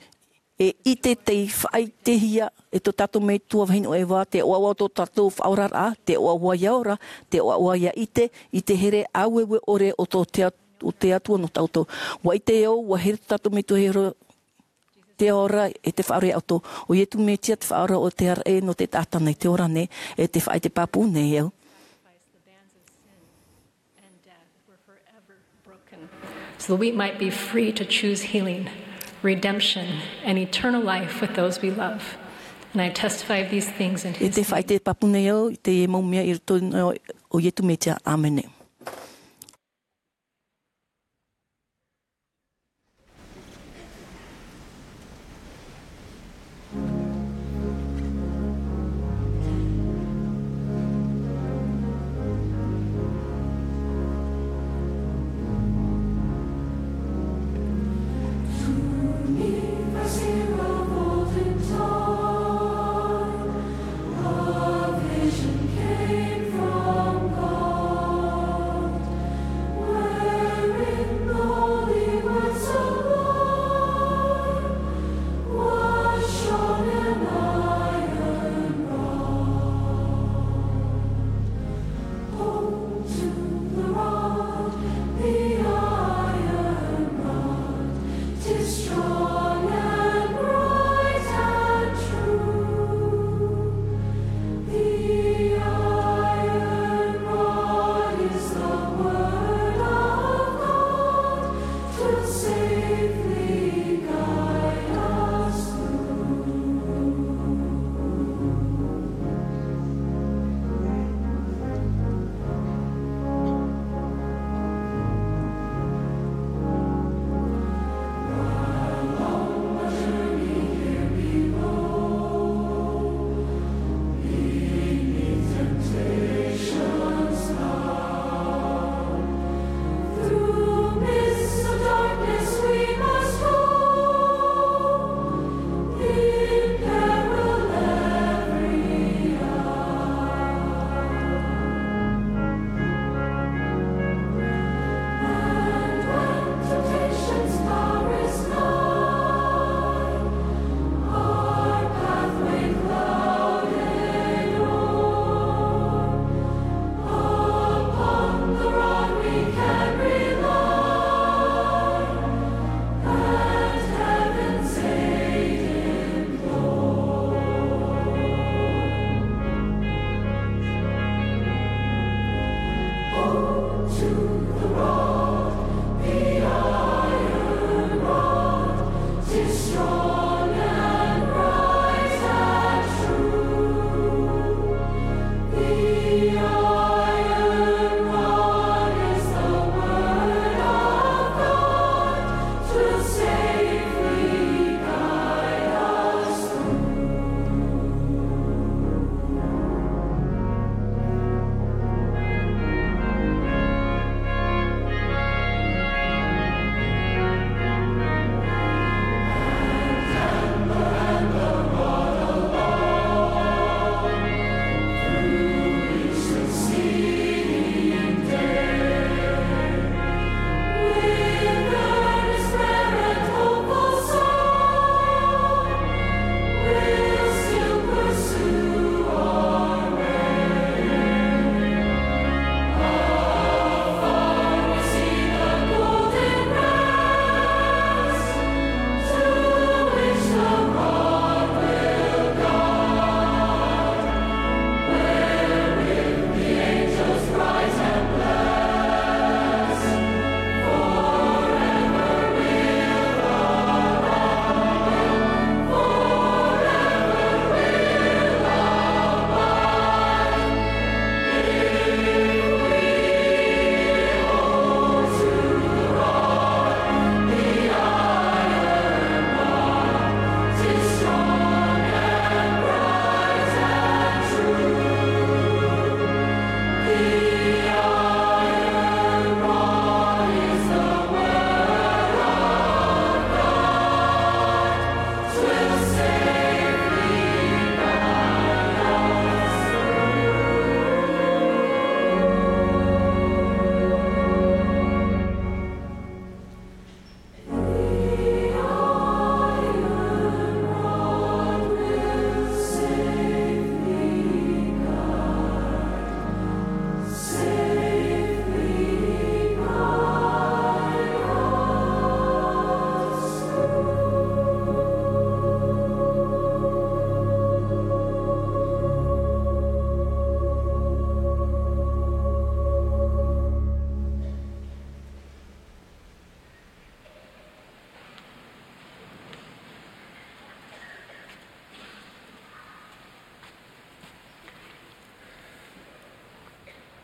e ʻite tei faʻaʻitehia e tō tātou Metua vahine ʻo Eva, te ʻoaʻoa o tō tātou faʻaoraraʻa, te ʻoaʻoa ʻia ora, te ʻoaʻoa ʻia ʻite, i te here aueue ʻore o tō te At-, o te Atua nō tātou. ʻUa ʻite au, ʻua here tō tātou Metua e ora, te ora e te Faʻaora ia ʻoutou. ʻO Iesu Mesia te Faʻaora o te araʻe nō te taʻata nei, te ora nei, e te faʻaʻite pāpū nei au. And death were forever broken, so that we might be free to choose healing, redemption, and eternal life with those we love. And I testify of these things in his name. E te faʻaʻite pāpū nei au i te mau mea i roto i te iʻoa o Iesu Mesia. ʻĀmene.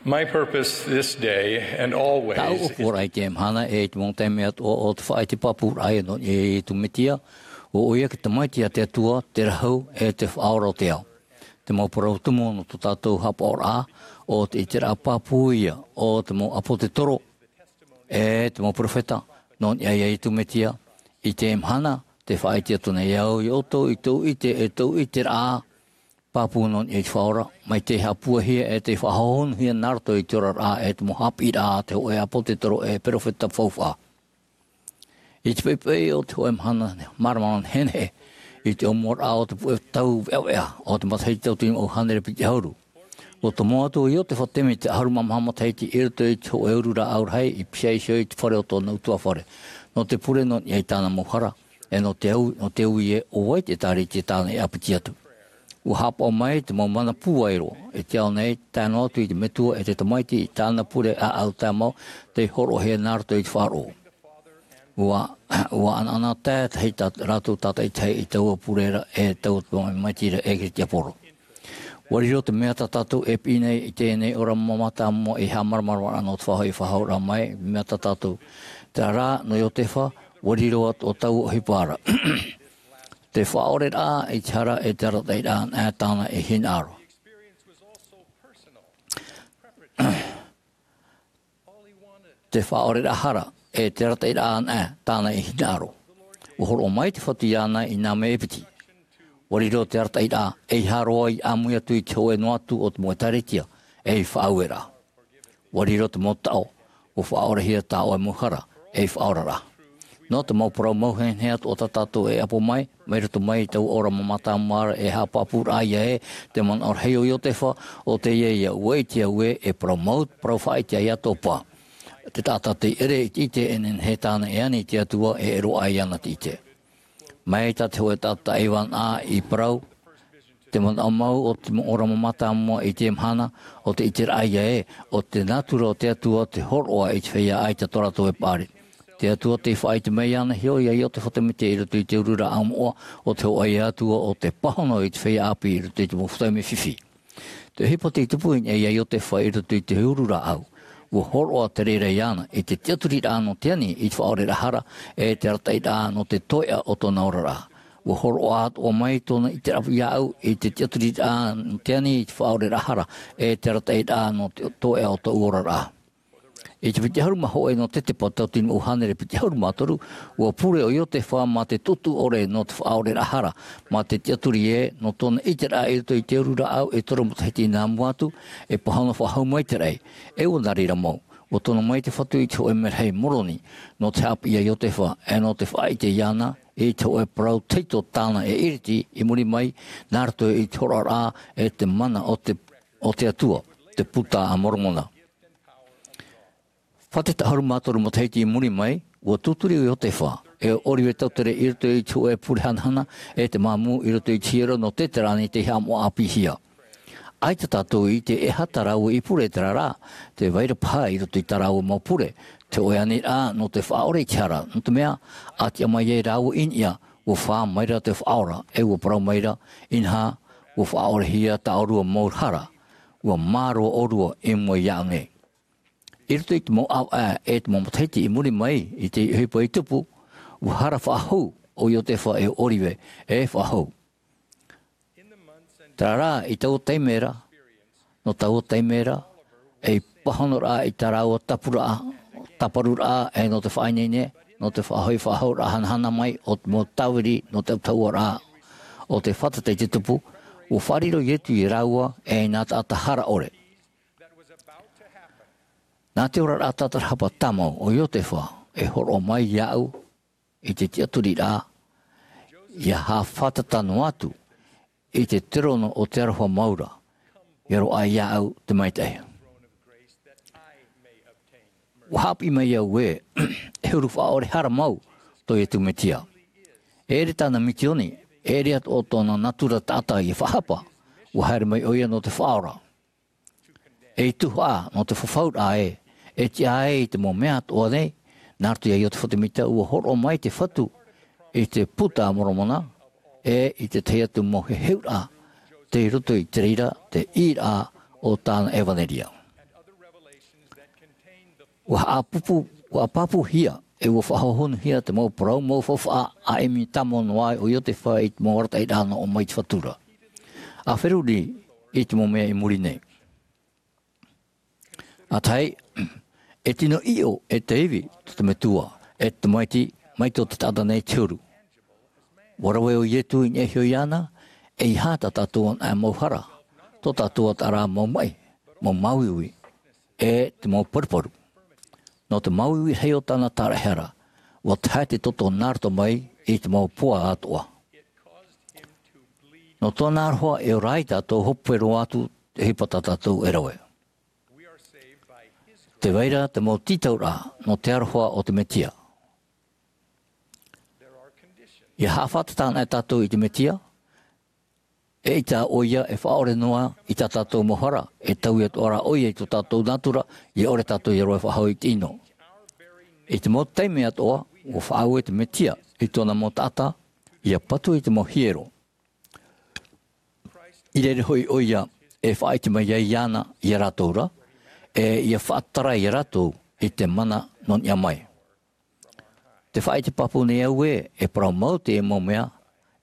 My purpose this day and always Tāʻu is ʻōpuaraʻa i teie mahana e i te mau taime atoʻa o te faʻaʻite pāpūraʻa ia nō niʻa iā Iesu Mesia, ʻo ʻoia te Tamaiti a te Atua, te Rahu, e te Faʻaora o te ao. Te mau parau tumu nō tō tātou haʻapaʻoraʻa, ʻo te ʻiteraʻa pāpū ia o te mau ʻāpōsetolo, e te mau perofeta, nō niʻa iā Iesu Mesia, i teie mahana, tē faʻaʻite atu nei au iā ʻoutou i tōʻu ʻite, e tōʻu ʻiteraʻa, pāpū nō niʻa i te Faʻaora, mai tei haʻapūaihia e tei faʻahohonuhia nā roto i te oraraʻa e te mau haʻapiʻiraʻa a te hōʻē ʻāpōsetolo e perofeta faufaʻa. I te poʻipoʻi o te hōʻē mahana, māramarama nehenehe, i te ʻōmuaraʻa o te puʻe tau veʻaveʻa, o te matahiti tauatini mā ʻū hānere piti ʻahuru. ʻUa tomo atu ʻo Iotefa Semita, ʻahuru mā maha matahiti i roto i te hōʻē uru rāʻau rahi, i pīhaʻi iho i te fare o tōna ʻutuāfare. Nō te pure nō niʻa i tāna mau hara, e nō te au, nō te ui ē, ʻo vai te ʻĒtārētia tāna i ʻāpiti atu. ʻUa haʻapaʻo mai te mau mana pūai roa, e te ao nei, tae noa atu i te Metua e te Tamaiti i tāna pure ʻāʻau tāmau, tei hōroʻahia nā roto i te faʻaroʻo. ʻUa, ʻua ʻanaʻanatae tahi tā rātou tātaʻitahi i taua pure ra, e taua tamaiti ra, e Kirisitia Poro. ʻUa riro te mea tā tātou e piʻi nei i teie nei ora mātāmua i haʻamāramarama ra nō te faʻahoʻi faʻahouraʻa mai, mea tā tātou. Terā rā, nō Iotefa, ʻua riro atoʻa taua ʻohipa ra. Te faʻaʻoreraʻa i te hara e te arataʻiraʻa anaʻe tāna i hinaʻaro. Te faʻaʻoreraʻa hara e te arataʻiraʻa anaʻe tāna i hinaʻaro. ʻUa hōroʻa mai te Fatu iāna i nā mea e piti. ʻUa riro te arataʻiraʻa, ʻeiaha roa i ʻāmui atu i te hōʻē noa atu o te mau ʻĒtārētia, ei faʻaueraʻa. ʻUa riro te mau taʻo, ʻua faʻaʻorehia tā ʻoe mau hara, ei faʻaoraraʻa. Nō te mau parau mau nehenehe atoʻa tā tātou e ʻapo mai, mai roto mai i taua ora mātāmua ra e haʻapāpūraʻa ia ē, te manaʻo rahi o Iotefa, ʻo teie ïa, ʻua ʻite au ē, e parau mau, parau faʻaʻite ïa tō pā. Te taʻata tei ʻere i te ʻite e nehenehe tāna e ani i te Atua e ʻere roa iāna te ʻite. Mai tā te hōʻē taʻata ʻaivānaʻa i parau, te manaʻo mau o te ora mātāmua i teie mahana, ʻo te ʻiteraʻa ia ē, ʻo te nātura o te Atua te hōroʻa i te feiā ʻaita tō rātou e paʻari. Te Atua tei faʻaʻite mai iāna iho iā Iotefa Semita i roto i te uru rāʻau moʻa, ʻo te hōʻē Atua ʻo tē pāhono i te feiā ʻāpī i roto i te mau taime fifi. Te ʻohipa tei tupu i niʻa iā Iotefa i roto i te uru rāʻau. ʻUa hōroʻa te reira iāna, i te tiʻaturiraʻa nō te ani i te faʻaʻoreraʻa hara, e te arataʻiraʻa nō te toeʻa o tōna oraraʻa. ʻUa hōroʻa atoʻa mai tōna ʻiteraʻa iāʻu, i te tiʻaturiraʻa nō te ani i te faʻaʻoreraʻa hara, e te arataʻiraʻa nō te toeʻa o tōʻu oraraʻa. I te piti ʻahuru mā hōʻē nō Tetepa tauatini mā ʻū hānere piti ʻahuru mā toru, ʻua pure ʻo Iotefa mā te tuʻutuʻu ʻore nō te faʻaʻoreraʻa hara, mā te tiʻaturi ē, nō tōna ʻiteraʻa i roto i te uru rāʻau e toru matahiti nā mua atu, e pāhono faʻahou mai te raʻi, e ʻua nā reira mau. ʻUa tono mai te Fatu i te hōʻē merahi Moroni, nō te haʻapiʻi iā Iotefa, e nō te faʻaʻite iāna, i te hōʻē parau tahito tāna e iriti i muri mai, nā roto i te hōroʻaraʻa e te mana o te, o te Atua, te Puta a Moromona. Fā te taʻu ʻahuru mā toru matahiti i muri mai, ʻua tūturi ʻo Iotefa, e ʻo ʻOrive Tautere i roto i te hōʻē pure hanahana, e te māmū i roto i te hiero nō Teterāni tei haʻamoʻa ʻāpīhia. ʻAita tātou i ʻite e aha tā rāua i pure terā rā, tē vai ra paha i roto i tā rāua mau pure, te hōʻē aniraʻa nō te faʻaʻore i te hara, nō te mea, ʻa tiʻa mai ai rāua i niʻa, ʻua fā mai ra te Faʻaora, e ʻua parau mai ra, inaha, ʻua faʻaʻorehia tā ʻōrua mau hara, ʻua mā roa ʻōrua i mua iāʻu nei. I roto i te mau ʻāvaʻe e te mau matahiti i muri mai i te ʻohipa i tupu, ʻua hara faʻahou ʻo Iotefa e ʻo ʻOrive e faʻahou. Terā rā, i taua taime ra, nō taua taime ra, ei pāhonoraʻa i tā rāua tāpuraʻa, tāparuraʻa, e nō te faʻaineine, nō te faʻahoʻi faʻahouraʻa hanahana mai o te mau tāviri nō te ʻautahuʻaraʻa o te fātata i te tupu, ʻua faʻariro Ietu iā rāua ei nā taʻata hara ʻore. Nā te oraraʻa tātarahapa tāmau o Iotefa e hōroʻa mai iāʻu i te tiʻaturiraʻa, ʻia haʻafātata noa atu i te terono o te aroha mau ra, ʻia roaʻa iāʻu te maitaʻi. ʻUa haʻapiʻi mai au ē, e huru faʻaʻore hara mau tō Iesu Mesia. E ʻere tāna misioni, e ʻere atoʻa tōna nātura taʻata ʻia faʻahapa, ʻua haere mai ʻoia nō te faʻaora. Ei tuhaʻa nō te fafauraʻa ē, e tiʻa ai i te mau mea atoʻa nei, nā roto iā Iotefa Semita ʻua hōroʻa mai te Fatu i te Puta a Moromona, e i te tahi atu mau heheuraʻa, tei roto i te reira te ʻīraʻa o tāna ʻevaneria. Ua haʻapāpū, ua pāpūhia, e ua faʻahohonuhia te mau parau mau faufaʻa a ʻimi tāmau noa ai ʻo Iotefa i te mau arataʻiraʻa nō ʻō mai i te Fatu ra. A feruri i te mau mea i muri nei. A tahi, e tino ʻiʻo, e te ivi, tō te Metua, e te Tamaiti, mai tō te taʻata nei te huru. Ua rave ʻo Ietu i niʻa iho iāna, ʻeiaha tā tātou anaʻe mau hara, tō tātou atoʻa rā mau maʻi, mau māuiui, e te mau paruparu. Nō te māuiui rahi o tāna taraehara, ua tae te toto nā roto mai i te mau poa atoʻa. Nō tōna aroha e ora ai tātou hope roa atu te ʻohipa tā tātou e rave. Tē vai ra te mau tītauraʻa nō te aroha o te Metia. ʻIa haʻafātata anaʻe tātou i te Metia, eʻita ʻoia e faʻaʻore noa i tā tātou mau hara, e taui atoʻa ra ʻoia i tō tātou nātura, ʻia ʻore tātou ʻia roaʻa faʻahou i te ʻino. I te mau taime atoʻa, ua faʻaue te Metia i tōna mau taʻata, ʻia patu i te mau hiero. I reira hoʻi ʻoia e faʻaʻite mai ai iāna, ia rātou ra, e ʻia faʻatarai ia rātou i te mana nō niʻa mai. Tē faʻaʻite pāpū nei au ē, e parau mau teie mau mea,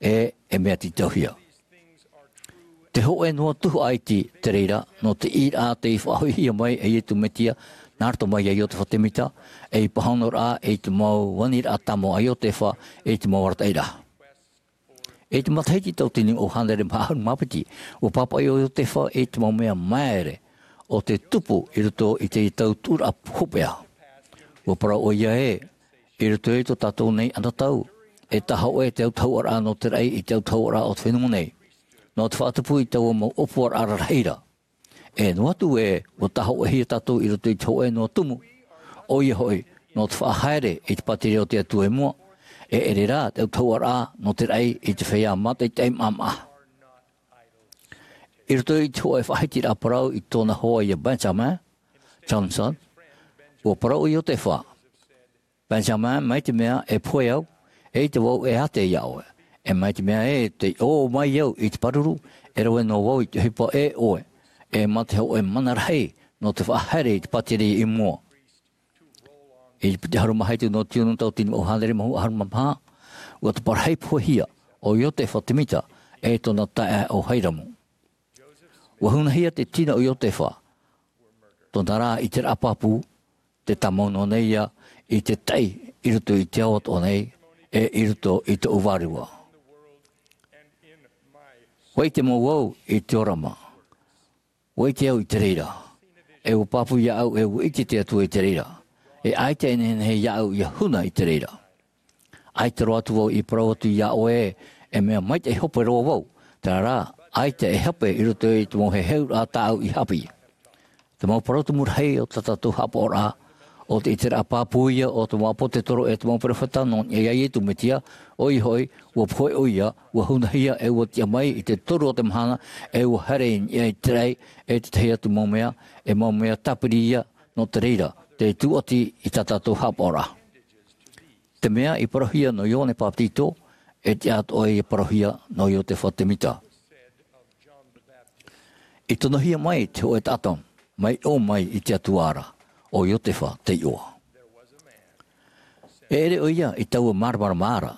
e, e mea tītauhia. Te hōʻē noa tuhaʻa iti te reira, nō te ʻīraʻa tei faʻahoʻihia mai e Ietu Metia, nā roto mai ia Iotefa Temita, ei pāhonoraʻa, ei te mau aniraʻa tāmau a Iotefa, ei te mau arataʻiraʻa. I te matahiti tauatini ʻo hānere maha ʻahuru mā piti, ua pāpaʻi ʻo Iotefa i te mau mea māere o te tupu i roto i te tau tuʻuraʻa hopeʻa. Ua parau ʻoia ē, i roto i tō tātou nei anotau, e tāhōʻē te autahuʻaraʻa nō te raʻi i te autahuʻaraʻa o te fenua nei. Nō te faʻatupu i taua mau ʻōpuaraʻa rarahi ra. E noa atu ē, ua tāhōʻēhia tātou i roto i te hōʻē noa tumu. ʻOia hoʻi, nō te faʻahaere i te pātireia o te Atua i mua, e ʻere rā te autahuʻaraʻa nō te raʻi i te feiā mātaʻitaʻi maʻamaʻa. I roto i te hōʻē faʻahitiraʻa parau i tōna hoa ia Benjamin Johnson, ua parau ʻo Iotefa, Benjamin, mai te mea e pohe au, e ʻaita vau e ātea iā ʻoe. E mai te mea ē tei ʻō mai au i te pāruru, e rave noa vau i te ʻohipa e ʻoe, e mā te hōʻē mana rahi nō te faʻahaere i te pātireia i mua. I te piti ʻahuru mā hitu nō tiunu tauatini maha ʻahuru mā maha, ua taparahi pohehia ʻo Iotefa Temita e tōna taeaʻe ʻo Hairamu. Ua hunahia te tino o Iotefa, tōna rā ʻiteraʻa pāpū, tē tāmau noa nei ia i te taʻi i roto i te ao atoʻa nei, e i roto i tōʻu vārua. Ua ʻite mau au i te ʻōrama. Ua ʻite au i te reira. E ua pāpū iāʻu e ua ʻite te Atua i te reira. E ʻaita e nehenehe iāʻu ʻia huna i te reira. ʻAita roa atu vau i parau atu iā ʻoe, e mea maitaʻi hope roa vau. Terā rā, ʻaita e hape i roto i te mau heheuraʻa tāʻu i haʻapiʻi. Te mau parau tumu rahi o tā tātou haʻapaʻoraʻa, ʻo te ʻiteraʻa pāpū ia o te mau ʻāpōsetolo e te mau perofeta nō niʻa iā Iesu Mesia, ʻoia hoʻi, ua pohe ʻoia, ua hunahia e ua tiʻa mai i te toru o te mahana, e ua haere i niʻa i te raʻi, e te tahi atu mau mea, e mau mea tāpiri ia, nō te reira, tē tūʻati i tā tātou haʻapaʻoraʻa. Te mea i parauhia nō Ioane Bapetizo, e tiʻa atoʻa ia parauhia nō Iotefa Temita. I tonohia mai te hōʻē taʻata, mai ʻō mai i te Atua ra, ʻo Iotefa te iʻoa. E ʻere ʻoia i taua māramarama ra,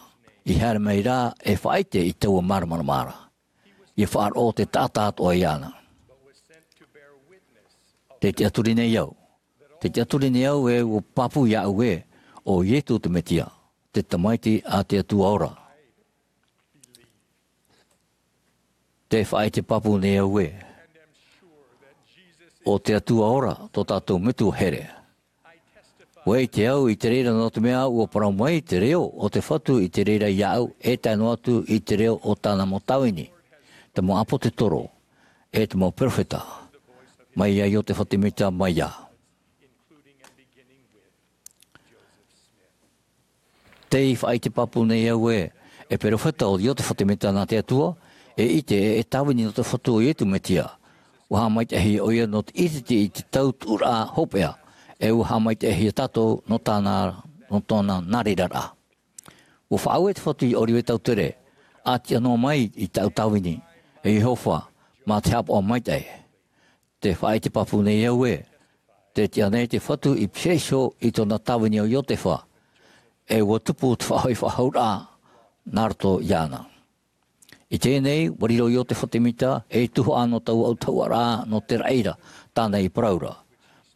i haere mai rā e faʻaʻite i taua māramarama ra. ʻIa faʻaroʻo te taʻata atoʻa iāna. Tē tiʻaturi nei au. Tē tiʻaturi nei au e ua pāpū iāʻu ē, ʻo Iesu te Mesia, te Tamaiti a te Atua ora. Tē faʻaʻite pāpū nei au ē, ʻo te Atua ora tō tātou Metua here. Ua ʻite au i te reira nō te mea ua parau mai te reo o te Fatu i te reira iāʻu, e tae noa atu i te reo o tāna mau tāvini, te mau ʻāpōsetolo, e te mau perofeta, mai iā Iotefa Temita mai iā. Tē faʻaʻite pāpū nei au ē, e perofeta ʻo Iotefa Temita nā te Atua, e ʻite e, e tāvini nō te Fatu ʻo Iesu Mesia. Ua haʻamaitaʻihia ʻoia nō te ʻitehia i te tau tuʻuraʻa hopeʻa, e ua haʻamaitaʻihia tātou nō tāna, nō tōna nāreiraraʻa. Ua faʻaue te Fatu i ʻōrive tautere, ʻa tiʻa noa mai i tāʻu tāvini, e Iehova, mā te haʻapaʻo maitaʻi. Tē faʻaʻite pāpū nei au ē, Te tiʻa nei te Fatu i pīhaʻi iho i tōna tāvini o Iotefa, e ʻua tupu te faʻahoʻi faʻahouraʻa nā roto iāna. I teie nei, ʻua riro Iotefa te mita ei tuhaʻa nō taua ʻautahuʻaraʻa nō te raʻi ra, tāna i parau ra.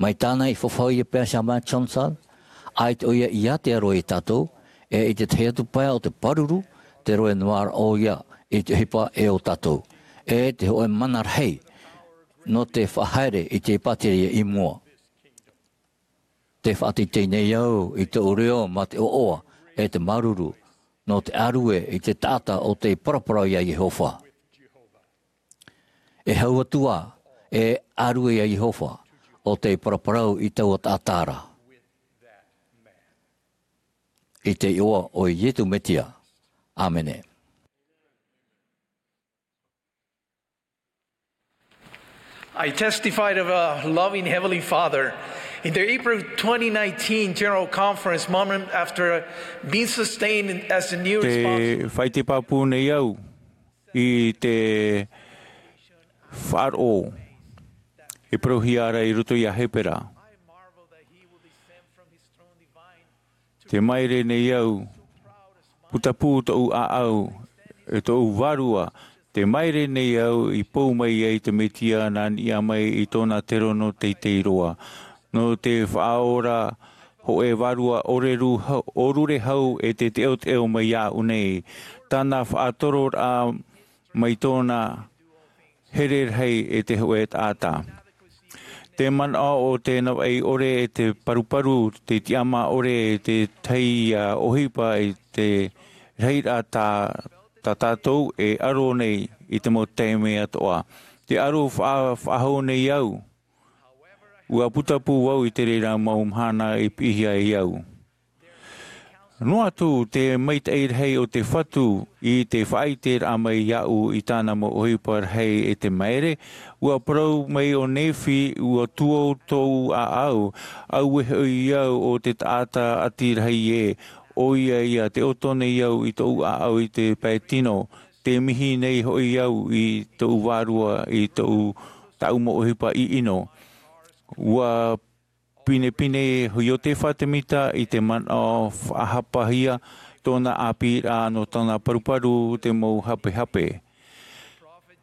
Mai tāna i fafau ia Benjamin Johnson, ʻaita ʻoia i ʻite roa ia tātou, e i te tahi atu pae o te pāruru, te rohe noa ra ʻoia i te ʻohipa e ʻo tātou, e te hōʻē mana rahi nō te faʻahaere i te pātireia i mua. Te faʻateitei nei au i tōʻu reo mā te ʻoaʻoa e te māuruuru nō te ʻārue i te taʻata o tei paraparau iā Iehova. E hau atu ā, e ʻārue iā Iehova o tei paraparau i taua taʻata ra. I te iʻoa o Iesu Mesia. ʻĀmene. I testified of a loving Heavenly Father in the April twenty nineteen General Conference, moment after being sustained as the new Te response. Faʻaite pāpū nei au i te faʻaroʻo e parauhia ra i roto iā Hepera. Te maere nei au, putapū tōʻu ʻāʻau, e tōʻu vārua, te maere nei au i pou mai ai te Mesia nā niʻa mai i tōna terono teitei roa. Nō te faʻaora hōʻē vārua ʻōruru hau, ʻōrure hau e te teʻoteʻo mai iāʻu nei. Tāna faʻatororaʻa mai tōna here rahi e te hōʻē taʻata. Te manaʻo o te navaʻi ʻore e te paruparu, te tiʻamā ʻore e te tahi ia ʻohipa i te rahiraʻa tā, tā tātou e aro nei i te mau taime atoʻa. Te aro faʻa-, faʻahou nei au. ʻUa putapū vau i te reira mau mahana i piʻihia e au. Noa atu te maitaʻi rahi o te Fatu i te faʻaʻiteraʻa mai iāʻu i tāna mau ʻohipa rahi e te maere, ʻua parau mai ʻo Nephi, ʻua tuō tōʻu ʻāʻau, auē hoʻi au o te taʻata ʻati rahi ē, ʻoia ia te ʻoto nei au i tōʻu ʻāʻau i te pae tino, te mihi nei hoʻi au i tōʻu vārua i tōʻu, tāʻu mau ʻohipa ʻiʻino. ʻUa pinepine Iotefa te mita i te manaʻo faʻahapahia tōna ʻāpīraʻa nō tōna paruparu te mau hapehape.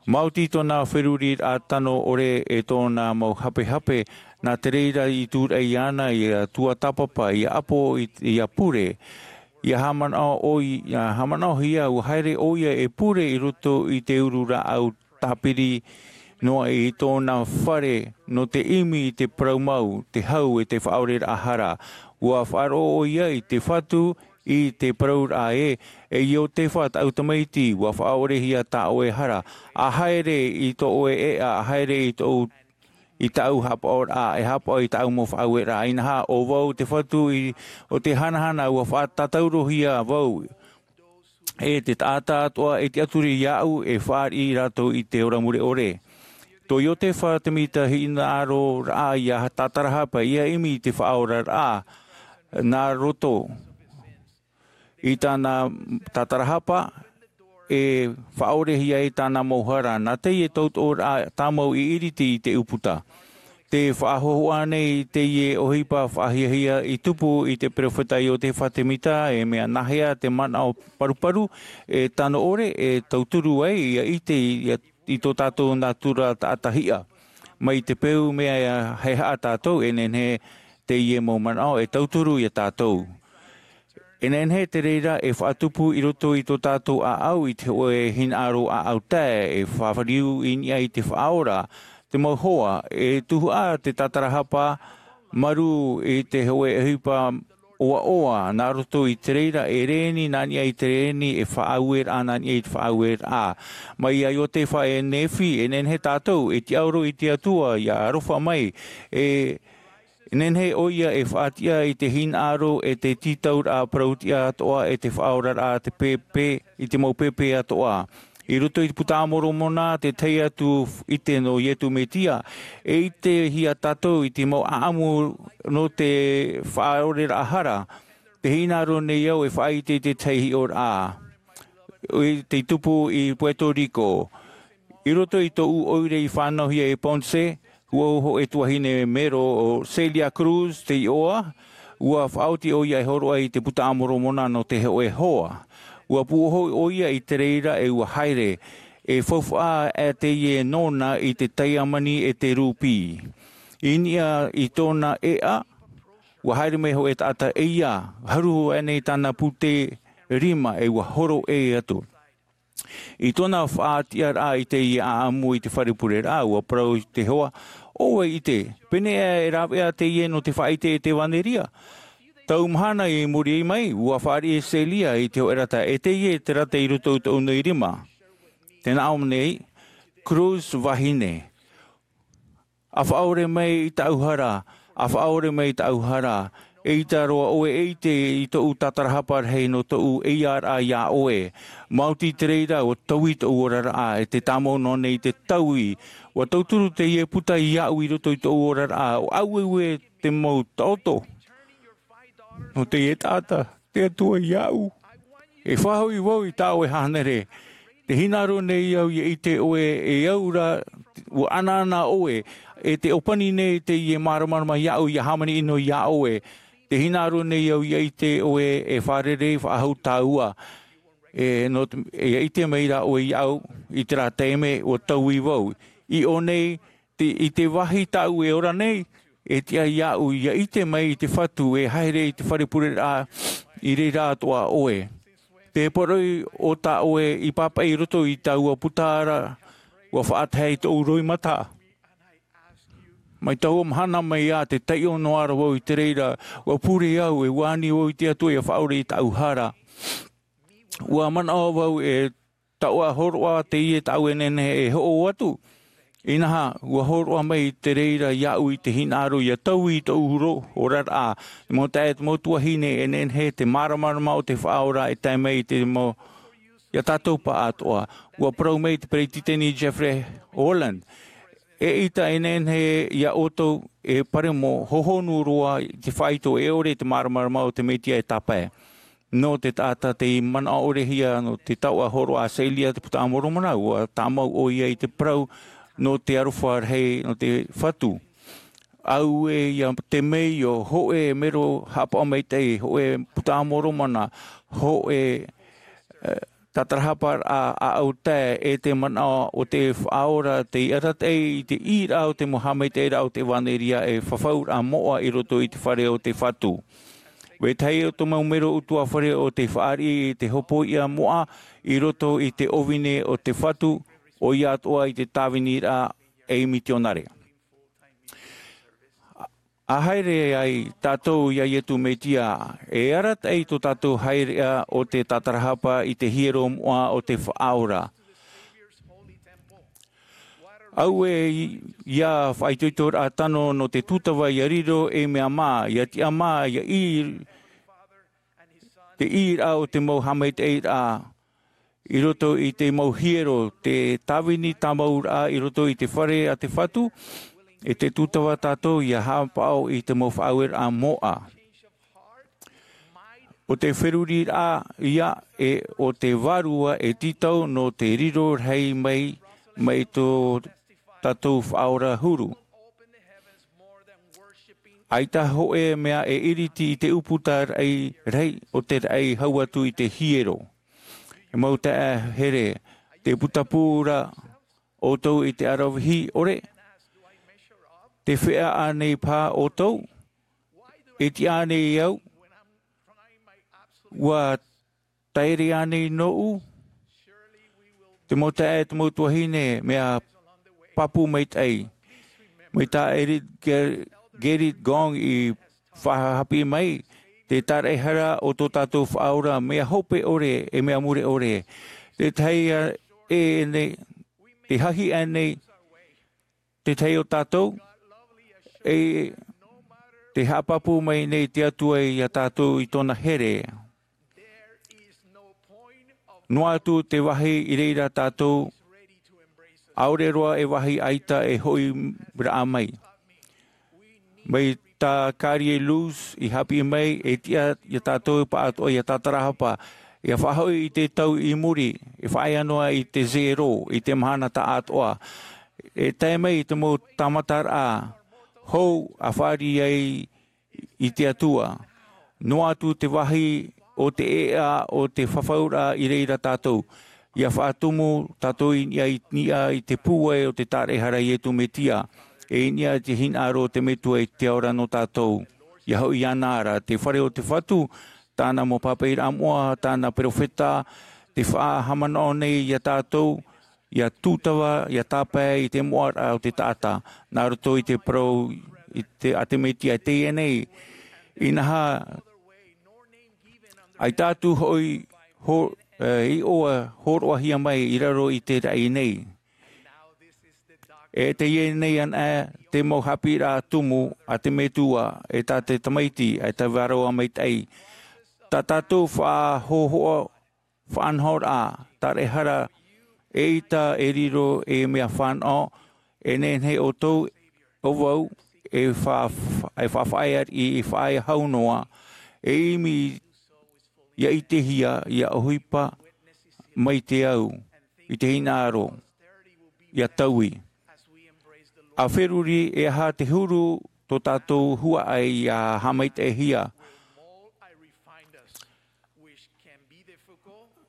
Maoti tōna feruriraʻa tano ʻore e tōna mau hapehape, nā te reira i tūraʻi iāna ia tuatāpapa, ia ʻapo, i, ia pure, ia haʻamanaʻo ʻoi-, ia haʻamanaʻohia, ʻua haere ʻoia e pure i roto i te uru rāʻau tāpiri noa i tōna fare nō te ʻimi i te parau mau, te hau e te faʻaoreraʻa hara. ʻUa faʻaroʻo ʻoia i te Fatu i te parauraʻa ē, e Iotefa tāʻu tamaiti, ʻua faʻaorehia tā ʻoe hara. ʻA haere i tō ʻoe ʻēʻa, ʻa haere i tōʻu, i tāʻu haʻapaʻoraʻa, e haʻapaʻo i tāʻu mau faʻaueraʻa. Inaha, ʻo vau te Fatu i, ʻo te hanahana, ʻua faʻatātaurohia vau. E te taʻata atoʻa e tiʻaturi iāʻu e fāriʻi rātou i te ora mure ʻore. Tō Iotefa te mita hinaʻaroraʻa ia tātarahapa, ia ʻimi i te faʻaoraraʻa nā roto i tāna tātarahapa, e faʻaorehia ai tāna mau hara, nā teie tautoʻoraʻa tāmau i ʻiriti i te ʻūputa. Te faʻahōhoʻa nei teie ʻohipa faʻahiahia i tupu i te peropheta Iotefa te mita, e mea nāhea te manaʻo paruparu, e tano ʻore, e tauturu ai, ia ʻite, ia, i tō tātou nātura taʻata hiʻa. Mai te peu mea ia haʻehaʻa tātou, e nehenehe teie mau manaʻo e tauturu ia tātou. E nehenehe te reira e faʻatupu i roto i tō tātou ʻāʻau i te hōʻē hinaʻaro ʻāʻau tae, e faʻariu i niʻa i te Faʻaora, te mau hoa, e tuhaʻa te tātarahapa, marū i te hōʻē ʻohipa ʻoaʻoa, nā roto i te reira e rēni nā niʻa i te rēni, e faʻaueraʻa nā niʻa i te faʻaueraʻa. Mai iā Iotefa e Nephi, e nehenehe tātou e tiʻaoro i te Atua, ia aroha mai, e nehenehe ʻoia e faʻatiʻa i te hinaʻaro e te tītauraʻa parautiʻa atoʻa e te faʻaoraraʻa te pēpē, i te mau pēpē atoʻa. I roto i te Puta a Moromona, te tahi atu ʻite nō Iesu Mesia, e ʻitehia tātou i te mau ʻāʻamu nō te faʻaoreraʻa hara. Te hinaʻaro nei au e faʻaʻite i te tahi hiʻoraʻa i tei tupu i Puerto Rico. I roto i tōʻu ʻoire i fānauhia e Ponce, Ua hoʻe tuahine mero o Celia Cruz te iʻoa, ua faʻaoti ʻoia e hōroʻa i te Buka a Moromona nō te hoʻe hoa. Ua pūʻohu ʻoia i te reira e ua haere, e faufaʻa ʻā teie nōna i te taiamani e te rūpī. I niʻa i tōna ʻēʻa, ua haere mai hoʻe taʻata ʻē ia, haruhu aʻenei tāna pūtē rima e ua horo ʻē atu. I tōna faʻatiʻaraʻa i teie ʻāʻamu i te fare pureraʻa, ua parau te hoa, ʻo vai ʻite, pēnei aʻe e rāveʻa teie nō te faʻaʻite e te ʻevanelia? Tau mahana i muri mai, ua fāriʻi Celia i te hoʻe rata, e teie te rata i roto i tōʻu nei rima. Tē nā ʻō nei, Cruz vahine. ʻA faʻaʻore mai i tāʻu hara, ʻa faʻaʻore mai i tāʻu hara, eʻita roa ʻoe e ʻite i tōʻu tātarahapa rahi nō tōʻu ʻeiaʻaraʻa iā ʻoe. Maoti te reira, ua taui tōʻu oraraʻa, e te tāmau noa nei te taui. Ua tauturu teie puta iāʻu i roto i tōʻu oraraʻa, ʻua aueue te mau taʻoto. Nō teie taʻata, te Atua iāʻu. E faʻahoʻi vau i tā ʻoe hānere. Tē hinaʻaro nei au ʻia ʻite ʻoe e au ra, ua ʻanaʻana ʻoe, e tē ʻōpani nei teie māramarama iāʻu ʻia hāmani ʻino iā ʻoe. Tē hinaʻaro nei au ʻia ʻite ʻoe e fārerei faʻahou tāua. E nō te, ʻia ʻite mai ra ʻoe iāʻu, i terā taime ua taui vau. I ʻō nei, te, i te vāhi tāʻu e ora nei, e tiʻa iāʻu ʻia ʻite mai i te Fatu e haere i te fare pureraʻa i reira atoʻa ʻoe. Te poroʻi o tā ʻoe i pāpaʻi i roto i taua puta ra, ua faʻatae i tōʻu roimata. Mai taua mahana mai ā, tē taiʻo noa ra vau i te reira, ua pure au, e ua ani vau i te Atua ʻia faʻaʻore i tāʻu hara. Ua manaʻo vau e taoʻa hōroʻa teie tāʻu e nehenehe e hoʻo atu. Inaha, ua hōroʻa mai te reira iāʻu i te hinaʻaro ʻia taui i tōʻu ro-, oraraʻa, te mau taeaʻe, te mau tuahine e nehenehe te māramarama o te Faʻaora e tae mai i te mau, iā tātou pāʻatoʻa. Ua parau mai te Peretiteni Jeffrey Holland, eʻita e nehenehe iā ʻoutou e paremo hohonu roa i te faito e ʻore i te māramarama o te Mesia e tāpae. Nō te taʻata tei manaʻo ʻore hia nō te taoʻa hōroʻa a Celia te Buka a Moromona, ua tāmau ʻoia i te parau nō te aroha rahi nō te Fatu. Auē ia te mea ʻo hōʻē mero haʻapaʻo maitaʻi, hōʻē Buka a Moromona, hōʻē, eh, tātarahapa a, a ʻau tae e te manaʻo o te Faʻaora tei arataʻi i te ʻīraʻa o te mau haʻamaitaʻiraʻa o te ʻevanelia e fafauraʻa moʻa i roto i te fare o te Fatu. Vetahi o te mau mero ʻutuāfare o te fāriʻi i te hopoiʻa moʻa i roto i te ʻōvine o te Fatu, ʻoia atoʻa i te tāviniraʻa ei mitionare. ʻA haere ai tātou iā Iesu Mesia, e arataʻi tō tātou haereʻa o te tātarahapa i te hiero moʻa o te Faʻaora. Auē ia faʻaitoitoraʻa tano nō te tūtava ʻia riro ei mea mā, ʻia tiʻamā, ʻia ʻī, te ʻīraʻa o te mau haʻamaitaʻiraʻa i roto i te mau hiero, te tāvini tāmauraʻa i roto i te fare a te Fatu, e te tūtava tātou ʻia haʻapaʻo i te mau faʻaueraʻa moʻa. ʻO te feruriraʻa ia e ʻo te vārua e tītau nō te riro rahi mai, mai tō tātou Faʻaora huru. ʻAita hōʻē mea e iriti i te ʻūputa rahi, rahi o te raʻi hau atu i te hiero. E mau taeaʻe here, tē putapū ra ʻoutou i te aravihi ʻore? Tē feiā ānei paha ʻoutou? E tiʻa ānei au? Ua taere ānei nōʻu? Te mau taeaʻe, te mau tuahine, mea pāpū maitaʻi. Mai tā Ger-, Ger-, Gerrit Gong i faʻahaʻapiʻi mai, te tāraʻehara o tō tātou Faʻaora, mea hope ʻore, e mea mure ʻore. Te tahi a, e nei, te hahi ānei, te tahi o tātou, e te haʻapāpū mai nei te Atua iā tātou i tōna here. Noa atu te vāhi i reira tātou, ʻaore roa e vāhi ʻaita e hoʻi raʻa mai. Mai tā Carrie Luz i haʻapiʻi mai, e tiʻa iā tātou pāʻatoʻa ʻia tātarahapa, ʻia faʻahoʻi i te tau i muri, e faʻaea noa i te zero, i te mahana taʻatoʻa. e tae mai i te mau tāmataraʻa hou a fāriʻi ai i te Atua. Noa atu te vāhi o te ʻēʻa o te fafauraʻa i reira tātou. ʻIa faʻatumu tātou i niʻa i niʻa i te pūai o te tāraʻehara a Iesu Mesia, e i niʻa i te hinaʻaro o te Metua i te ora nō tātou. ʻIa hoʻi iāna ra te fare o te Fatu, tāna mau pāpaʻiraʻa moʻa, tāna perofeta, te faʻahaʻamanaʻo nei iā tātou, ʻia tūtava, ʻia tāpae i te moʻaraʻa o te taʻata, nā roto i te parau i te, a te Mesia i teie nei. Inaha, ʻaita atu hoʻi, ho-, e, iʻoa, hōroʻahia mai i raro i te raʻi nei. E teie nei anaʻe te mau haʻapiʻiraʻa tumu a te Metua, e tā te Tamaiti, e tā Vārua Maitaʻi. Tā tātou faʻahōhoʻa, faʻanahoraʻa, tāraʻehara, eʻita e riro ei mea fānaʻo, e nehenehe ʻoutou, ʻo vau, e fa-, e faʻafaʻaea i, i faʻaea hau noa, e ʻimi ʻia ʻitehia, ʻia ʻohipa mai te au, i te hinaʻaro, ʻia taui. ʻA feruri e aha te huru tō tātou huaʻai ʻia haʻamaitaʻihia.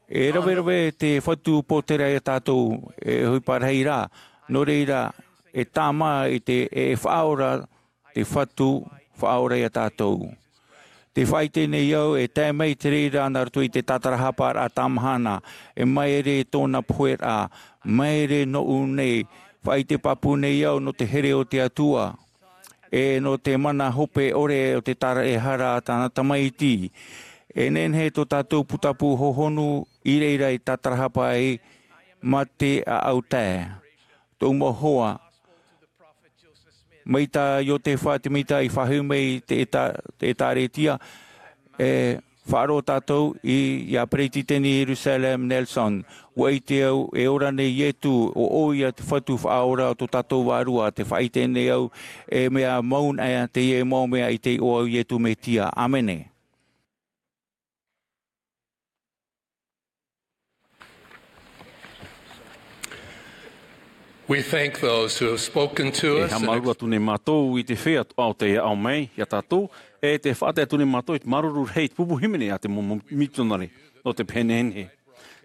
E raverave te Fatu pōtēra iā tātou, e ʻohipa rahi rā, nō reira, e tāmā i te, e faʻaora te Fatu faʻaora iā tātou. Tē faʻaʻite nei au e tae mai te reira nā roto i te tātarahaparaʻa tāmahana, e māere tōna poheraʻa, māere nōʻu nei, faʻaʻite pāpū nei au nō te here o te Atua, e nō te mana hope ʻore o te tāraʻehara a tāna Tamaiti. E nehenehe tō tātou putapū hohonu i reira i tātarahapa ai mā te ʻāʻau tae. Tōʻu mau hoa, mai tā Iosefa Sāmita i faʻahoʻi mai i te ʻētā-, te ʻētāretia, e faʻaroʻo tātou i, iā Peretiteni Russell M. Nelson. ʻUa ʻite au, e ora nei Iesu, ʻo ʻoia te Fatu faʻaora o tō tātou Vārua, tē faʻaʻite nei au, e mea mau na teie mau mea i te iʻoa o Iesu Mesia. ʻĀmene. We thank those who have spoken to E us and haʻamāuruuru atu nei mātou i te feiā atoʻa tei aʻo mai iā tātou, e tē faʻatae atu nei mātou i te māuruuru rahi i te pupu hīmene a te mau mitionare, nō te pehe nehenehe.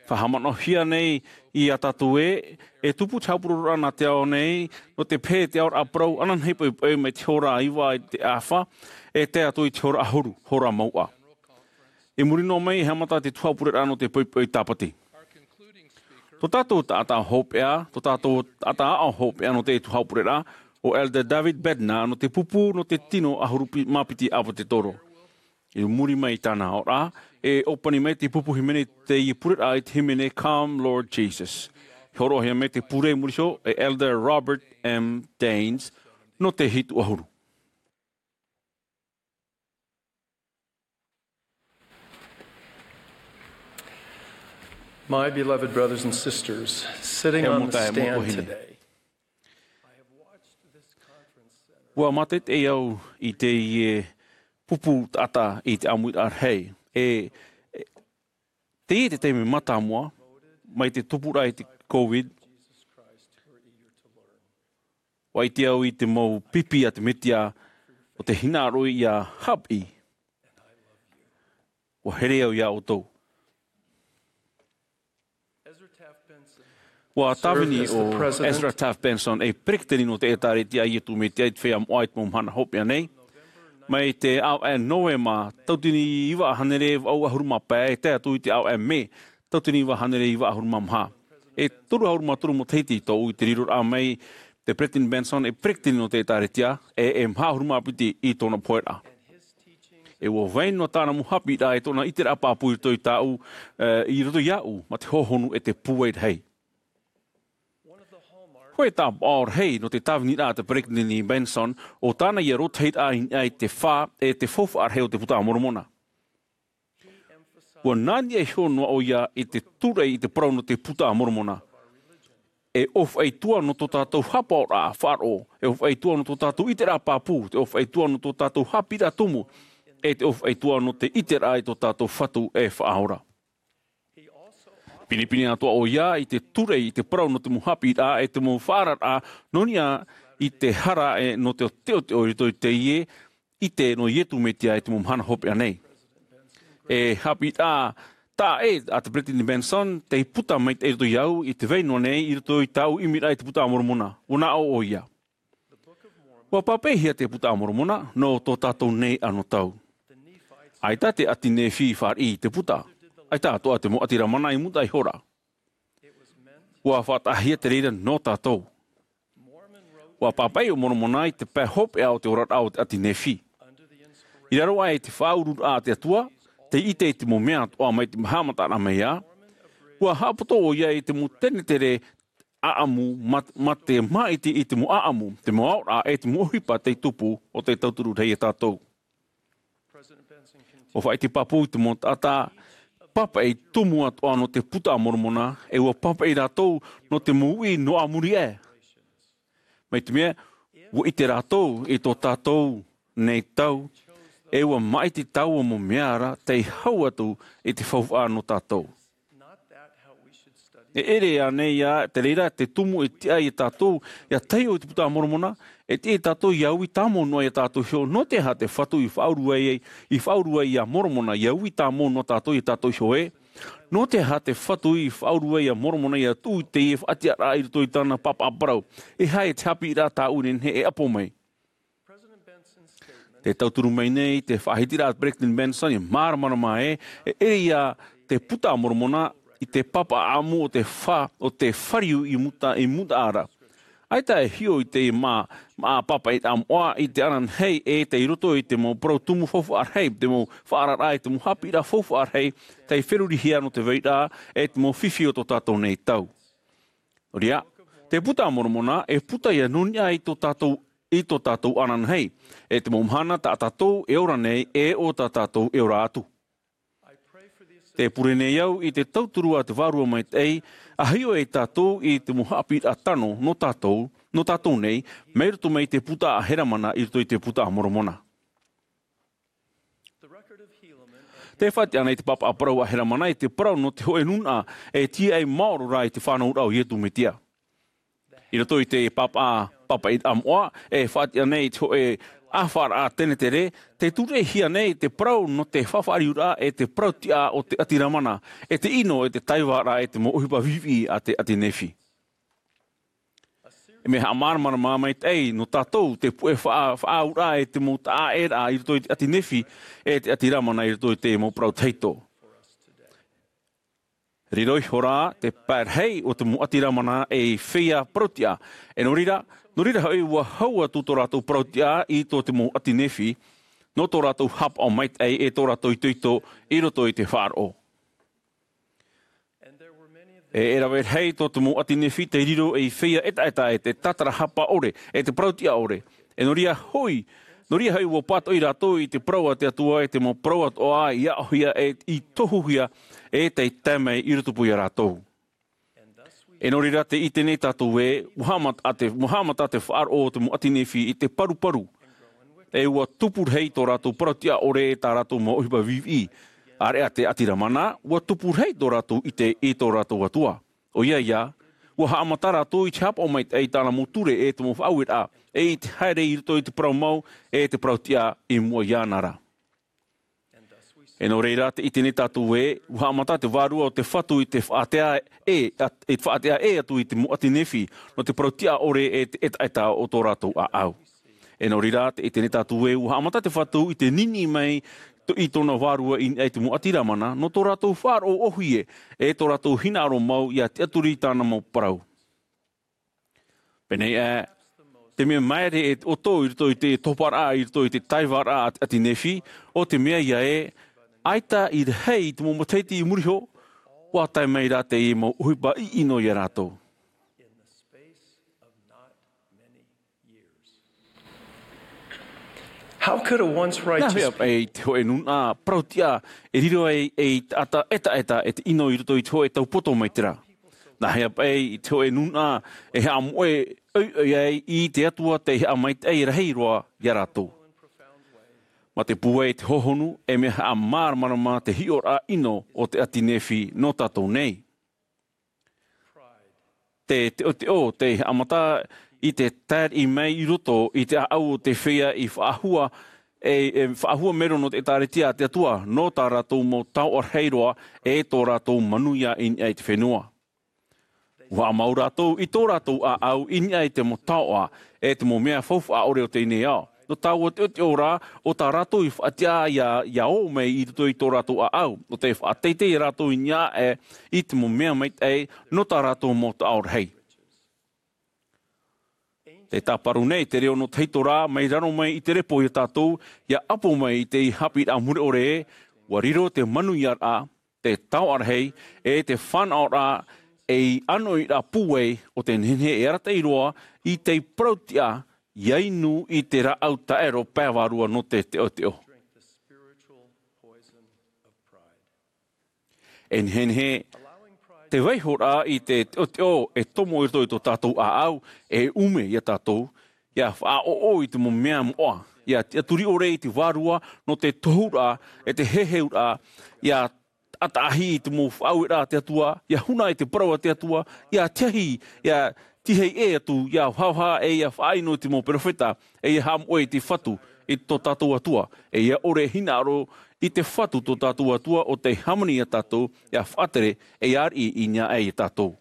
Faʻahaʻamanaʻohia nei iā tātou ē, e tupu te haʻapurororaʻa nā te ao nei, nō te pehe te aoraʻa parau ananahi poʻipoʻi mai te hora iva i te ʻāfa, e tae atu i te hora ʻahuru, hora mauʻa. I muri noa mai, e haʻamata te tuhaʻa pureraʻa nō te poʻipoʻi tāpati. Tō tātou taʻata hopeʻa, tō tātou taʻata aʻo hopeʻa nō te tuhaʻa pureraʻa, ʻo Elder David Bednar nō te pupu, nō te tino ʻahuru pi-, mā piti ʻāpōsetolo. I muri mai i tāna aʻoraʻa, e ʻōpani mai te pupu hīmene i te pureraʻa i te hīmene Come Lord Jesus. Hōroʻahia mai te pure i muri iho e Elder Robert M. Daines nō te hitu ʻahuru. My beloved brothers and sisters, sitting E on mau the taeaʻe, mau stand tuahine. Today, I have watched this conference center. ʻUa mātaʻitaʻi au i teie pupu taʻata i te ʻāmuiraʻa rahi. E, e, teie te taime mātāmua, mai te tupuraʻa i te COVID, ʻua ʻite au i te mau pipi a te Mesia, ʻo te hinaʻaro ʻia haʻapiʻi. ʻUa here au iā ʻoutou. ʻUa tāvini ʻo Ezra Taft Benson ei peretiteni nō te ʻĒtārētia a Iesu Mesia i te feiā moʻa i te mau mahana hopeʻa nei. Mai te ʻāvaʻe Novema, tauatini iva hānere vaʻu ʻahuru mā pae, e tae atu i te ʻāvaʻe Mē, tauatini iva hānere iva ʻahuru mā maha. E toru ʻahuru mā toru matahiti tōʻu i te riroraʻa mai te Peretiteni Benson ei peretiteni nō te ʻĒtārētia, e, e maha ʻahuru mā piti i tōna poheraʻa. E ʻua vai noa tāna mau haʻapiʻiraʻa e tōna ʻiteraʻa pāpū i roto i tāʻu, e, i roto iāʻu, mā te hohonu e te pūai rahi. Hōʻē tāpaʻo rahi nō te tāviniraʻa a te Peretiteni Benson, ʻo tāna ïa rōtahiraʻa i niʻa i te fā, e te faufaʻa rahi o te Puta a Moromona. ʻUa nā niʻa iho noa ʻoia i te tūraʻi i te parau nō te Puta a Moromona. E ʻōfaʻi atu ā nō tō tātou haʻapaʻoraʻa faʻaroʻo, e ʻōfaʻi atu ā nō tō tātou ʻiteraʻa pāpū, e ʻōfaʻi atu ā nō tō tātou haʻapiʻiraʻa tumu, e te ʻōfaʻi atu ā nō te ʻiteraʻa i tō tātou Fatu e Faʻaora. pinepine atoʻa ʻoia i te ture i te parau nō te mau haʻapiʻiraʻa e te mau faʻaararaʻa nō niʻa i te hara e nō te teoteo i roto i teie ʻite nō Iesu Mesia i te mau mahana hopeʻa nei. E haʻapiʻiraʻa taʻa ʻē a te Peresideni Benson, tei puta maitaʻi i roto iāʻu i te vai noa nei i roto i tāʻu ʻimiraʻa i te Buka a Moromona. ʻUa naʻo ʻoia. ʻUa pāpaʻihia te Buka a Moromona nō tō tātou nei anotau. ʻAita te ʻāti Nephi i fāriʻi i te puta. ʻAita atoʻa te mau ʻāti Lamana i mutaʻa ihora. ʻUa faʻataʻahia te reira nō tātou. ʻUa pāpaʻi ʻo Moromona i te pae hopeʻa o te oraraʻa o te ʻāti Nephi. I raro aʻe i te faʻaururaʻa a te Atua, tei ʻite i te mau mea atoʻa mai te haʻamataraʻa mai ā, ʻua haʻapoto ʻoia i te mau tenetere ʻaʻamu, mā, mā te māʻiti i te mau ʻaʻamu, te mau aʻoraʻa e te mau ʻohipa tei tupu o te tauturu rahi ia tātou. ʻUa faʻaʻite pāpū i te mau taʻata pāpaʻi tumu atoʻa nō te Buka a Moromona, e ʻua pāpaʻi rātou nō te mau uʻi nō ā muri aʻe. Mai te mea, ʻua ʻite rātou i tō tātou nei tau, e ʻua māʻiti taua mau mea ra tei hau atu i te faufaʻa nō tātou. E ʻere ānei ā te reira te tumu e tiʻa ia tātou, ʻia taiʻo i te Buka a Moromona, e tiʻa ia tātou ʻia uʻi tāmau noa ia tātou iho, nō te aha te Fatu i faʻauru ai, i faʻauru ai ia Moromona, ʻia uʻi tāmau noa tātou ia tātou iho ē? Nō te aha te Fatu i faʻauru ai ia Moromona ʻia tuʻu i teie faʻatiʻaraʻa i roto i tāna pāpaʻi parau? E aha te haʻapiʻiraʻa tāʻu e nehenehe e ʻapo mai? Te tauturu mai nei, te faʻahitiraʻa a Peresideni Benson, e māramarama ē, e ʻere ia te Buka a Moromona i te pāpaʻi ʻaʻamu o te fa-, o te fāriu i muta, i mutaʻa ra. ʻAita e hiʻo i te mā, mā pāpaʻi ʻaʻamu ʻoia i te ananahi e tei roto i te mau parau tumu faufaʻa rahi, te mau faʻaararaʻa e te mau haʻapiʻiraʻa faufaʻa rahi, tei ferurihia nō te vairaʻa e te mau fifi o tō tātou nei tau. Nō reira, te Buka a Moromona, e puta ia nō niʻa i tō tātou, i tō tātou ananahi, e te mau mahana tā tātou e ora nei, e ʻo tā tātou e ora atu. Tē pure nei au i te tauturu a te Vārua Maitaʻi, ʻa hiʻo ia tātou i te mau haʻapiʻiraʻa tano nō tātou, nō tātou nei, mai roto mai i te puta a Helamana i roto i te Buka a Moromona. Tē faʻatiʻa nei te pāpaʻi parau a Helamana i te parau nō te hōʻē nūnaʻa e tīaʻi maoro ra i te fānauraʻa o Iesu Mesia. I roto i te pāpaʻi, pāpaʻi ʻaʻamu ʻoia, e faʻatiʻa nei i te hōʻē ʻāfaʻaraʻa tenetere, tē tūreʻihia nei te parau nō te faʻafāriuraʻa e te parau tiʻa o te ʻāti Lamana, e te ʻino e te taivaraʻa e te mau ʻohipa viʻiviʻi a te ʻāti Nephi. E mea haʻamāramarama maitaʻi nō tātou te puʻe faʻa-, faʻaauraʻa e te mau taʻaʻēraʻa i roto i te ʻāti Nephi, e te ʻāti Lamana i roto i te mau parau tahito. Riro iho rā te pae rahi o te mau ʻāti Lamana ei feiā parau tiʻa. E nō reira, nō reira hoʻi ʻua hau atu tō rātou parau tiʻa i tō te mau ʻāti Nephi, nō tō rātou haʻapaʻo maitaʻi e tō rātou itoito i roto i te faʻaroʻo. E, e rave rahi tō te mau ʻāti Nephi tei riro ei feiā ʻetaʻeta e te tātarahapa ʻore, e te parau tiʻa ʻore. E nō reira hoʻi, nō reira hoʻi ʻua pātoʻi rātou i te parau a te Atua e te mau parau atoʻa i aʻohia e i tohuhia e tei tae mai i rotopū ia rātou. E nō reira tē ʻite nei tātou ē, ʻua haʻamata te, ʻua haʻamata te faʻaroʻo o te mau ʻāti Nephi i te paruparu. E ʻua tupu rahi tō rātou parau tiʻa ʻore e tā rātou mau ʻohipa viʻiviʻi. ʻĀreʻa te ʻāti Lamana, ʻua tupu rahi tō rātou ʻite i tō rātou Atua. ʻOia ïa, ʻua haʻamata rātou i te haʻapaʻo maitaʻi i tāna mau ture e te mau faʻaueraʻa, e i te haere i roto i te parau mau, e te parau tiʻa i mua iāna ra. E nō reira, tē ʻite nei tātou ē, ʻua haʻamata te Vārua o te Fatu i te faʻatea ʻē, at-, i te faʻatea ʻē atu i te mau ʻāti Nephi, nō te parau tiʻa ʻore e te ʻetaʻeta o tō rātou ʻāʻau. E nō reira, tē ʻite nei tātou ē, ʻua haʻamata te Fatu i te niniʻi mai to-, i tōna Vārua i niʻa i te mau ʻāti Lamana, nō tō rātou faʻaroʻo ʻōhie, e tō rātou hinaʻaro mau ʻia tiʻaturi i tāna mau parau. Pēnei ā, te mea māere e te ʻoto i roto i te toparaʻa, i roto i te taivaraʻa a te ʻāti Nephi, ʻo te mea ïa ē, ʻaita i rahi i te mau matahiti i muri iho, ʻua tae mai rā te mau ʻohipa ʻiʻino ia rātou. How could a once Nā hea righteous paʻi i te hōʻē nūnaʻa parau tiʻa e riro ai ei taʻata ʻetaʻeta e te ʻino i roto i te hōʻē tau poto mai te rā? Nā hea paʻi i te hōʻē nūnaʻa e haʻamoʻe ʻoiʻoi ai i te Atua tei haʻamaitaʻi rahi roa ia rātou? Mā te pūai i te hohonu, e mea haʻamāramarama te hiʻoraʻa ʻino o te ʻāti Nephi nō tātou nei. Te teʻoteʻo tei haʻamata i te taeraʻi mai i roto i te ʻāʻau o te feiā i faʻahua, e, e faʻahua mero nō te ʻĒtārētia a te Atua, nō tā rātou mau taoʻa rahi roa, e tō rātou manuia i niʻa i te fenua. ʻUa haʻamau rātou i tō rātou ʻāʻau i niʻa i te mau taoʻa, e te mau mea faufaʻa ʻore o teie nei ao. Nō taua teʻoteʻo rā, ʻo tā rātou i faʻatiʻa ʻia, ʻia ō mai i roto i tō rātou ʻāʻau, ʻo tei faʻateitei rātou i niʻa aʻe i te mau mea maitaʻi nō tā rātou mau taoʻa rahi. Tē tāparu nei te reo nō tahito rā, mai raro mai i te repo ia tātou, ʻia ʻapo mai i te haʻapiʻiraʻa mure ʻore ē, ʻua riro te manuiaraʻa, te taoʻa rahi, e te fānaʻoraʻa, ei ʻānoʻiraʻa pūai ʻo te nehenehe e arataʻi roa i te parautiʻa, ʻia inu i te rāʻau taʻero pae vārua nō te teʻoteʻo. E nehenehe te vaihoraʻa i te teʻoteʻo e tomo i roto i tō tātou ʻāʻau, e ʻume ia tātou, ʻia faʻaʻoʻo i te mau mea moʻa, ʻia tiʻaturi ʻore i te vārua nō te tohuraʻa, e te heheuraʻa, ʻia taʻataʻahi i te mau faʻaueraʻa a te Atua, ʻia huna i te parau a te Atua, ʻia tiahi, ʻia tīahi ʻē atu, ʻia vahavā e ʻia faʻaʻino i te mau perofeta, e ʻia haʻamoʻe i te Fatu, i tō tātou Atua, e ʻia ʻore hinaʻaro i te Fatu tō tātou Atua ʻo tei hāmani ia tātou, ʻia faʻatere, e ʻia ariʻi i niʻa aʻe ia tātou.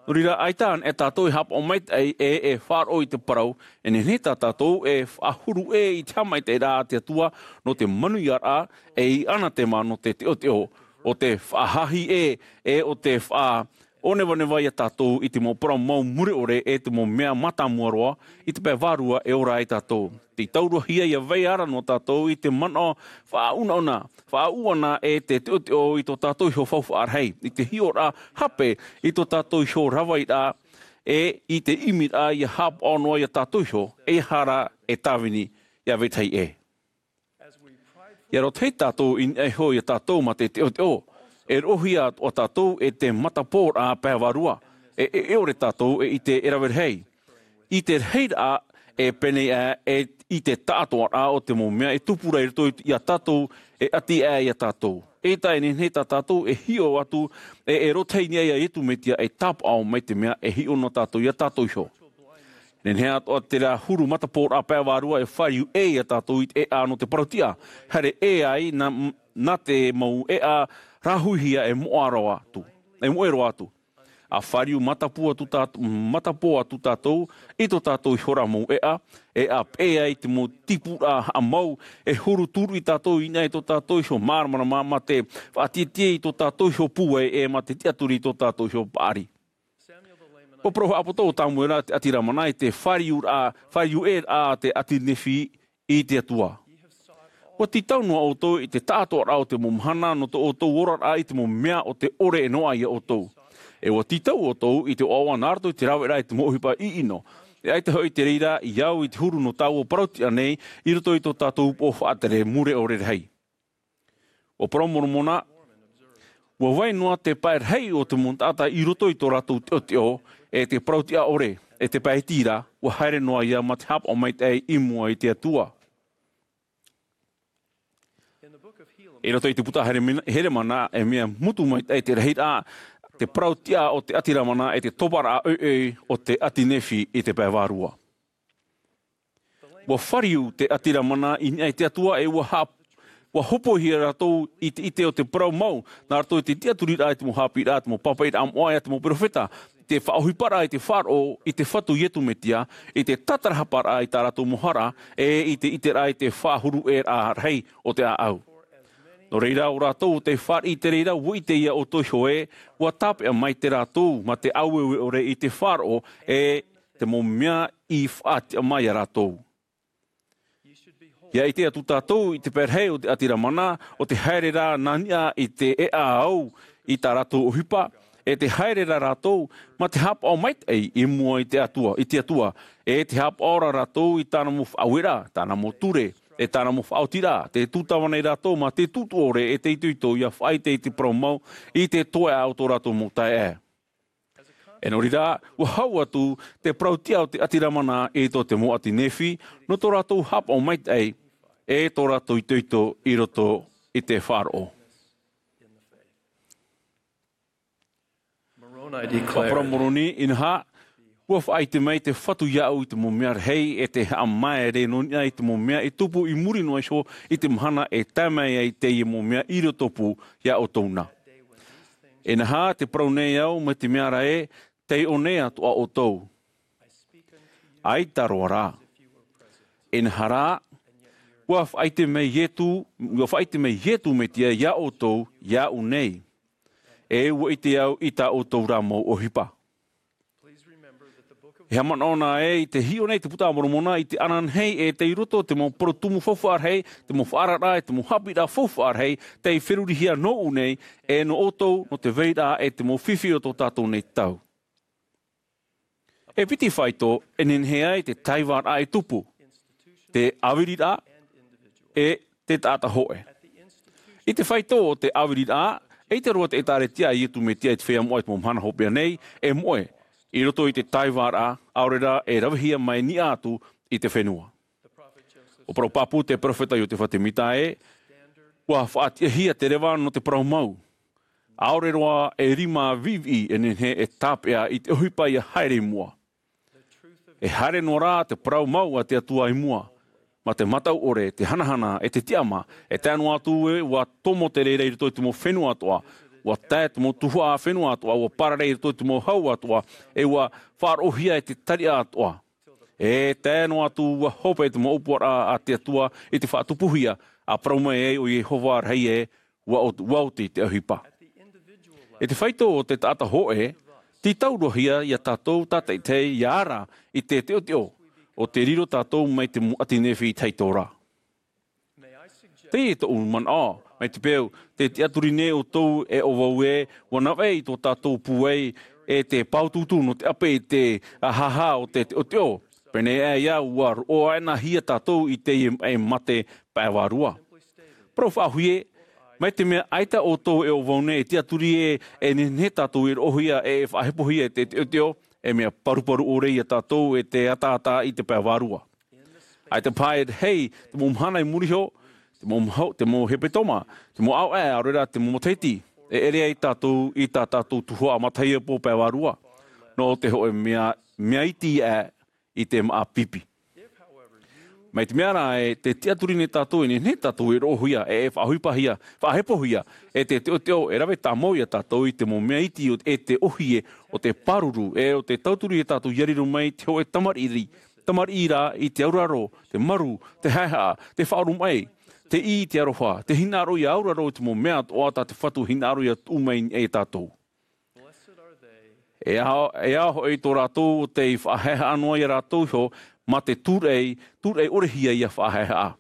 Nō reira, ʻaita anaʻe tātou e haʻapaʻo maitaʻi e, e faʻaroʻo i te parau, e nehenehe tā tātou e faʻahuru ʻē i te haʻamaitaʻiraʻa a te Atua, nō te manuiaraʻa, e i ʻAnatema nō te teʻoteʻo, ʻo te faʻahāhi ʻē, e ʻo te faʻa ʻōnevaneva ia tātou i te mau parau mau mure ʻore e te mau mea mātāmua roa, i te pae vārua e ora ai tātou. Tei tauruahia ʻia vai ara noa tātou i te manaʻo faʻaunauna, faʻaʻuʻana e te teʻoteʻo i tō tātou iho faufaʻa rahi, i te hiʻoraʻa hape i tō tātou iho ravairaʻa, e i te ʻimiraʻa ʻia haʻapaʻo noa ia tātou iho, e ʻia haere e tāvini, ʻia vetahi ʻē. ʻIa roto tātou i niʻa iho ia tātou mā te teʻoteʻo, e roʻohia atoʻa tātou e te matapōraʻa pae vārua, e, e, e ʻore tātou e ʻite e rave rahi. I te rahiraʻa e pēnei aʻe, e i te taʻatoʻaraʻa o te mau mea e tupu ra i roto i, ia tātou, e ʻati aʻe ia tātou. E tae nehenehe tā tātou e hiʻo atu, e, e roto i niʻa ia Iesu Mesia e tāpaʻo mai te mea e hiʻo noa tātou ia tātou iho. Nehenehe atoʻa terā huru matapōraʻa pae vārua e fāriu ʻē ia tātou i te ʻēʻa nō te parautiʻa. Haere ʻē ai nā, nā te mau ʻēʻa rāhuihia e moʻa roa atu, e moʻe roa atu. ʻA fāriu matapō atu tā, matapō atu tātou i tō tātou iho ra mau ʻēʻa, e ʻa peʻe ai te mau tīpuraʻa haʻamau, e huru tūruʻi tātou i niʻa i tō tātou iho māramarama mā te faʻatiʻatiʻa i tō tātou iho pūai, e mā te tiʻaturi i tō tātou iho paʻari. ʻUa parau haʻapoto ʻo Samuela te ʻāti Lamana i te fāriuraʻa, fāriu ʻē raʻa a te ʻāti Nephi i te Atua. ʻUa tītau noa ʻoutou i te taʻatoʻaraʻa o te mau mahana nō tō ʻoutou oraraʻa i te mau mea o te ʻore e noaʻa ia ʻoutou. E ʻua tītau ʻoutou i te ʻoaʻoa nā roto i te raveraʻa i te mau ʻohipa ʻiʻino. E ʻaita hoʻi te reira i au i te huru nō taua parautiʻa nei i roto i tō tātou upoʻo faʻatere mure ʻore rahi. ʻUa parau Moromona, ʻua vai noa te pae rahi o te mau taʻata i roto i tō rātou teʻoteʻo, e te parautiʻa ʻore, e te pae iti ra, ʻua haere noa ia mā te haʻapaʻo maitaʻi i mua i te Atua. I roto i te puta Heremina-, Heremana, e mea mutu maitaʻi te rahiraʻa, te parautiʻa o te ʻāti Lamana, e te toparaʻa ʻoiʻoi o te ʻāti Nephi i te pae vārua. ʻUa fāriu te ʻāti Lamana i niʻa i te Atua, e ʻua hā-, ʻua hopoihia rātou i te ʻite o te parau mau, nā roto i te tiʻaturiraʻa i te mau haʻapiʻiraʻa, te mau pāpaʻiraʻa moʻa, e te mau perofeta, i te faʻaʻohiparaʻa i te faʻaroʻo i te Fatu Iesu Mesia, i te tātarahaparaʻa i tā rātou mau hara, e i te ʻiteraʻa i te faʻahuru ʻē raʻa rahi o te ʻāʻau. Nō reira, ʻo rātou ʻo tei fāriʻi i te reira, ʻua ʻite ia ʻoutou iho ē, ʻua tāpeʻa mai te rātou, mā te ʻāueue ʻore i te faʻaroʻo, e te mau mea i faʻatiʻa mai ia rātou. ʻIa ʻite atu tātou i te pae rahi o te ʻāti Lamana, ʻo te haere ra nā niʻa i te ʻēʻa au i tā rātou ʻohipa, e te haere ra rātou, mā te haʻapaʻo maitaʻi i mua i te Atua, i te Atua, e te haʻapaʻo ra rātou i tāna mau faʻaueraʻa, tāna mau ture, e tāna mau faʻaotiraʻa, tē tūtava nei rātou mā te tūtū ʻore e te itoito ʻia faʻaʻite i te parau mau i te toeʻa o tō rātou mau taeaʻe. E nō reira, ʻua hau atu te parautiʻa o te ʻāti Lamana i tō te mau ʻāti Nephi, nō tō rātou haʻapaʻo maitaʻi, e tō rātou itoito i roto i te faʻaroʻo. Ua parau Moroni, inaha, ua faʻaʻite mai te Fatu iāʻu i te mau mea rahi, e te haʻamaere nō niʻa i te mau mea i tupu i muri noa iho i te mahana e tae mai ai teie mau mea i roto pū iā ʻoutou na. Inaha, tē parau nei au, mai te mea ra ē, tei ʻō nei atoʻa ʻoutou. ʻAita roa rā. Inaha rā, ua faʻaʻite mai Ietu, ua faʻaʻite mai Ietu Metia iā ʻoutou, iāʻu nei. E ua ʻite au i tā ʻoutou rā mau ʻohipa. E haʻamanaʻo na ē, tē hiʻo nei te Puta a Moromona i te ananahi e tei roto te mau parau tumu faufaʻa rahi, te mau faʻaararaʻa, te mau haʻapiʻiraʻa faufaʻa rahi, tei ferurihia nōʻu nei, e nō ʻoutou, nō te vairaʻa e te mau fifi o tō tātou nei tau. E piti faito, e nehenehe ai te taivaraʻa e tupu, te ʻāviriraʻa, e te taʻata hōʻē. I te faito o te ʻāviriraʻa, eʻita roa te ʻĒtārētia a Ietu Metia i te feiā moʻa i te mau mahana hopeʻa nei, e moʻe, i roto i te taivaraʻa, ʻaore rā e ravehia mai niʻa atu i te fenua. ʻUa parau pāpū te perofeta Iotefa Temita ē, ʻua faʻatiʻahia te reva nō te parau mau. ʻAore roa e rima viʻiviʻi e nehenehe e tāpeʻa i te ʻohipa ʻia haere i mua. E haere noa rā te parau mau a te Atua i mua, mā te mataʻu ʻore, te hanahana, e te tiʻamā, e tae noa atu ē, ʻua tomo te reira i roto i te mau fenua atoʻa, ʻua tae te mau tuhaʻa fenua atoʻa, ʻua pārahi i roto i te mau hau atoʻa, e ʻua faʻaroʻohia e te tariʻa atoʻa. E tae noa atu ʻua hope te mau ʻōpuaraʻa a te Atua i te faʻatupuhia, ʻa parau mai ai ʻo Iehova rahi ē, ʻua ot-, ʻua oti te ʻohipa. E te faito o te taʻata hōʻē, tītauhia ia tātou tātaʻitahi ʻia ara i te teʻoteʻo, ʻo tē riro tātou mai te mau ʻati Nephi tahito ra. Teie tōʻu manaʻo, mai te peu, tē tiʻaturi nei ʻoutou e ʻo vau ē, ʻua navaʻi i tō tātou pūai, e te pāutuutu nō te ʻape i te ʻāhaʻa o te teʻoteʻo. Pēneiaʻe ā, ʻua roʻohia tātou i teie, e mate pae vārua. Parau faʻahou ē, mai te mea ʻaita ʻoutou e ʻo vau nei e tiʻaturi ē, e nehenehe tātou e roʻohia, e faʻahepohia e te teʻoteʻo, e mea paruparu ʻore ia tātou e te ataata i te pae vārua. ʻAita paha e hei, te mau mahana i muri iho, te mau maho-, te mau hepetoma, te mau ʻāvaʻe, ʻaore rā te mau matahiti, e ʻere ai tātou i tā tātou tuhaʻa matahiapo pae vārua. Nō te hōʻē mea, mea iti ā i te māʻa pipi. Mai te mea rā ē, tē tiʻaturi nei tātou e nehenehe tātou e roʻohia, e, e faʻaʻohipahia, faʻahepohia, e te teʻoteʻo e rave tāmau ia tātou i te mau mea iti o, e te ʻōhie, ʻo te pāruru, e ʻo te tauturu ia tātou ʻia riro mai te hōʻē tamariʻi, tamariʻi ra i te auraro, te maru, te haʻehaʻa, te faʻaoromaʻi, te ʻī i te aroha, te hinaʻaro ʻia auraro i te mau mea atoʻa tā te Fatu hinaʻaro ʻia tuʻu mai ia tātou. E aha, e aha hoʻi tō rātou tei faʻahaʻehaʻa noa ia rātou iho, mā te tūraʻi, tūraʻi ʻore hia ʻia faʻahaʻehaʻa.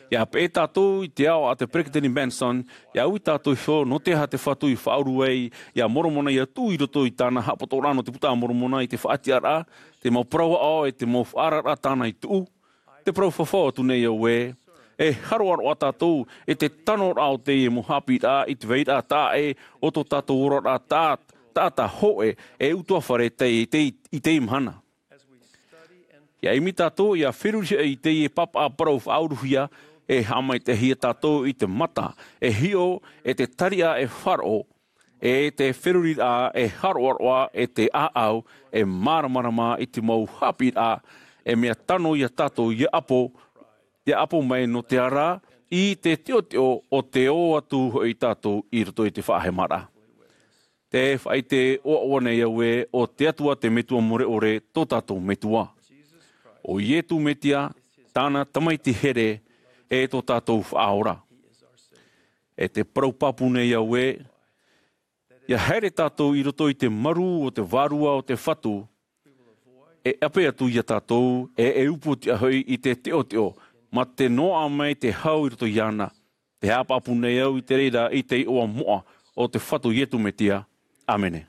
ʻIa peʻe tātou i te ao a te Peresideni Monson, ʻia ui tātou iho nō te aha te Fatu i faʻauru ai ia Moromona ʻia tuʻu i roto i tāna haʻapotoraʻa nō te Puta a Moromona i te faʻatiʻaraʻa, te mau parau aʻo e te mau faʻaararaʻa tāna i tuʻu. Tē parau fafau atu nei au ē, e haroʻaroʻa tātou i te tanoraʻa o teie mau haʻapiʻiraʻa i te vairaʻa taʻa ʻē o tō tātou oraraʻa taʻa, taʻata hōʻē, e utuafare tei, tei, i teie mahana. ʻIa ʻimi tātou ʻia feruri i teie pāpaʻa parau faʻauruhia, e haʻamaitaʻihia tātou i te mata, e hiʻo, e te tariʻa e faʻaroʻo, e te feruriraʻa e haroʻaroʻa, e te ʻāʻau e māramarama i te mau haʻapiʻiraʻa, e mea tano ia tātou ʻia ʻapo, ʻia ʻapo mai nō te ara i te teʻoteʻo o te ō atu hoʻi tātou i roto i te faʻahemaraʻa. Tē faʻaʻite ʻoaʻoa nei au ē, ʻo te Atua te Metua mure ʻore tō tātou Metua. ʻO Ietu Metia, tāna Tamaiti here, e tō tātou Faʻaora. E tē parau pāpū nei au ē, ʻia haere tātou i roto i te maru o te vārua o te Fatu, e ʻape atu ia tātou, e, e upoʻotiʻa hoʻi i te teʻoteʻo, mā te noaʻa mai te hau i roto iāna. Tē haʻapāpū nei au i te reira i te iʻoa moʻa o te Fatu Ietu Metia. ʻĀmene.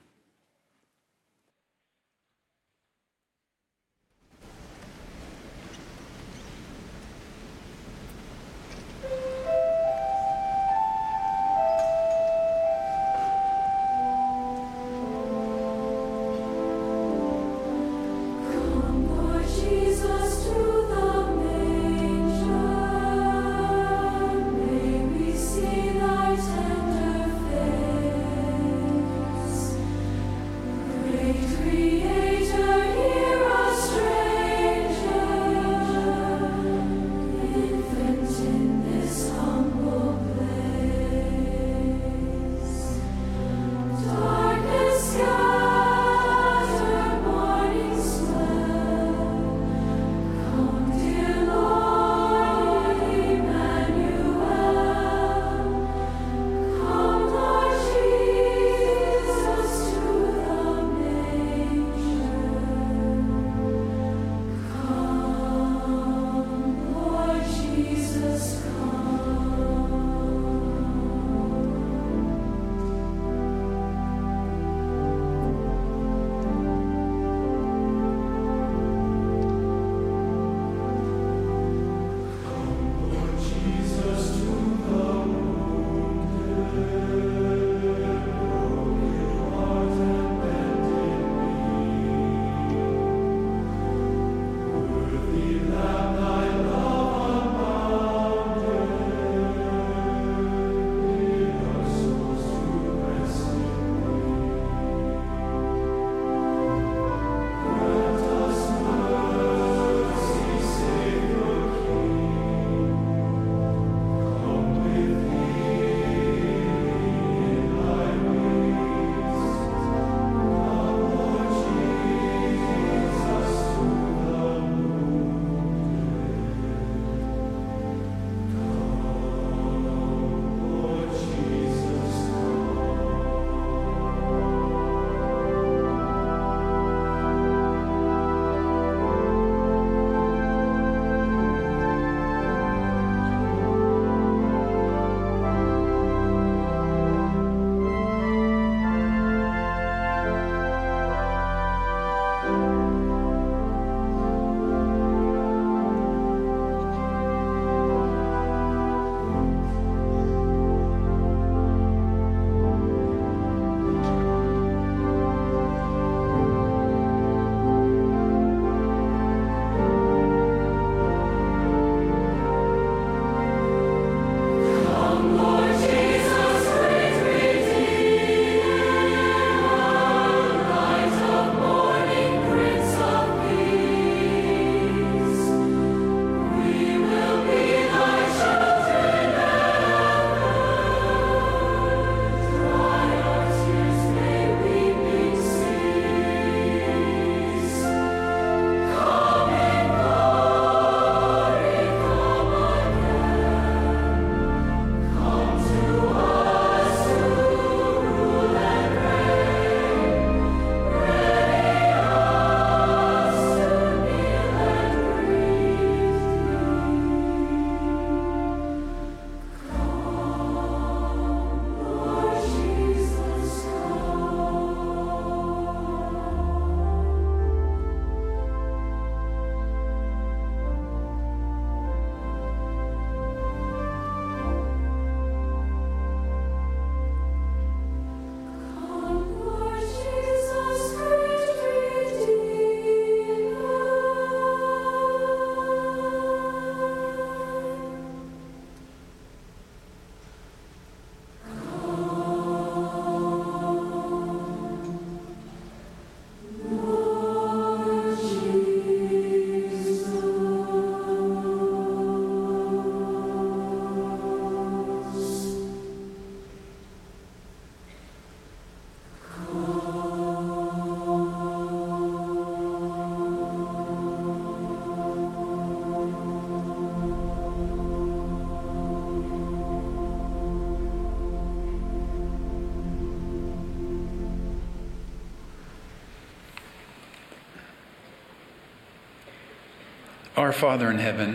Our Father in heaven,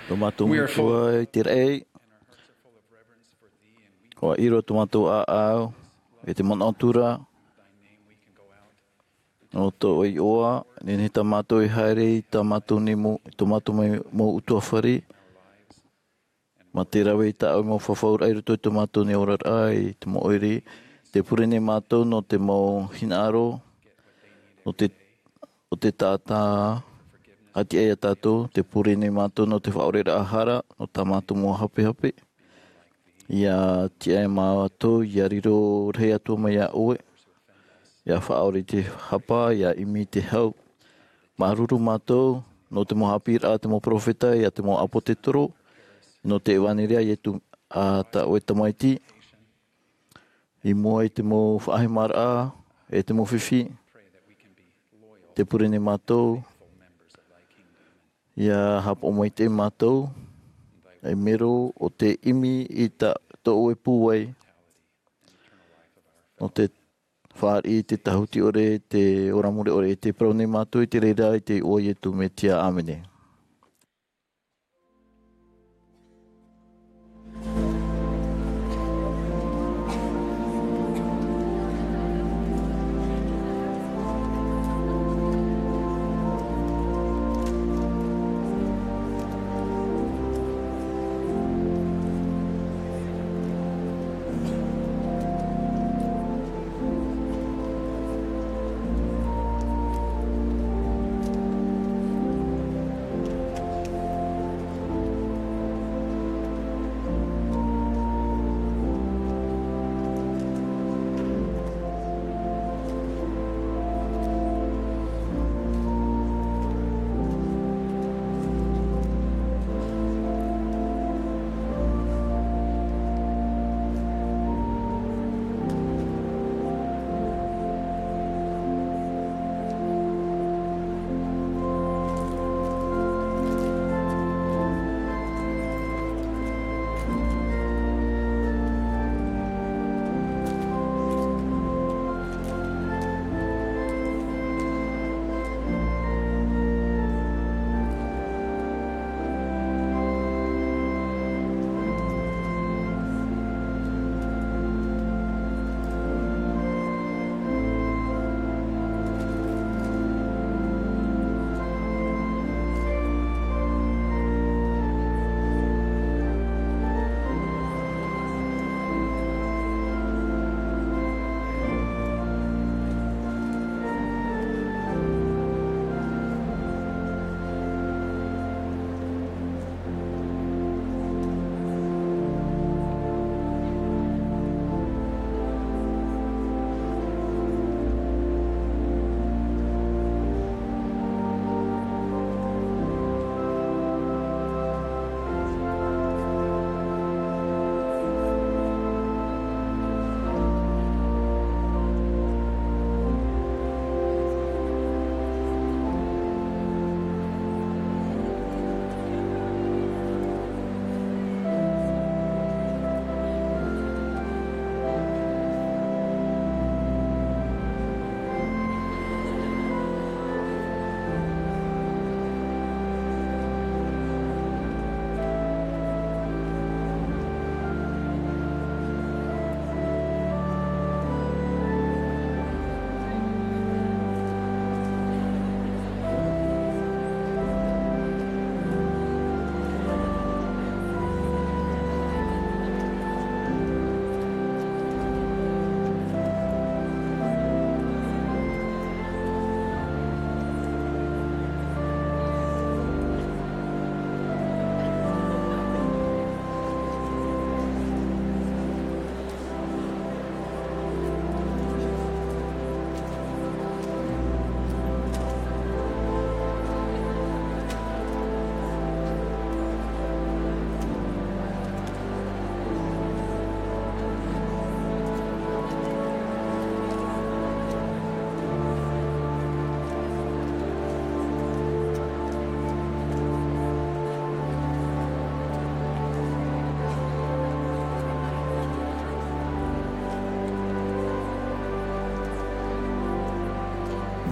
tō mātou Matua i te raʻi, ʻua ʻiro tō mātou ʻāʻau e te manaʻo atu ra, nō tō ʻoe iʻoa, nehenehe tā mātou e haere i tā mātou nei mau, i tō mātou mau, mau ʻutuāfare, mā te rave i tā ʻoe mau fafauraʻa i roto i tō mātou nei oraraʻa i te mau ʻoire. Tē pure nei mātou nō te mau hinaʻaro, nō te, ʻo te taʻata, ʻa tiʻa ia tātou, tē pure nei mātou nō te faʻaʻoreraʻa hara, nō tā mātou mau hapehape. ʻIa tiʻa ia mātou, ʻia riro rahi atu mai ia ʻoe. ʻIa faʻaʻore i te hapa, ʻia ʻimi i te hau. Māuruuru mātou, nō te mau haʻapiʻiraʻa a te mau peropheta, ʻe te mau ʻāpōsetolo, nō te ʻevanelia a Ietu, ā tā ʻoe Tamaiti. I mua i te mau faʻahemaraʻa, e te mau fifi. Tē pure nei mātou, ʻia haʻapaʻo maitaʻi mātou, ei mero ʻo te ʻimi i tā, tō ʻoe pūai. Nō te fāriʻi i te tāhuti ʻore, te ora mure ʻore, tē parau nei mātou i te reira i te iʻoa o Ietu Metia. ʻĀmene.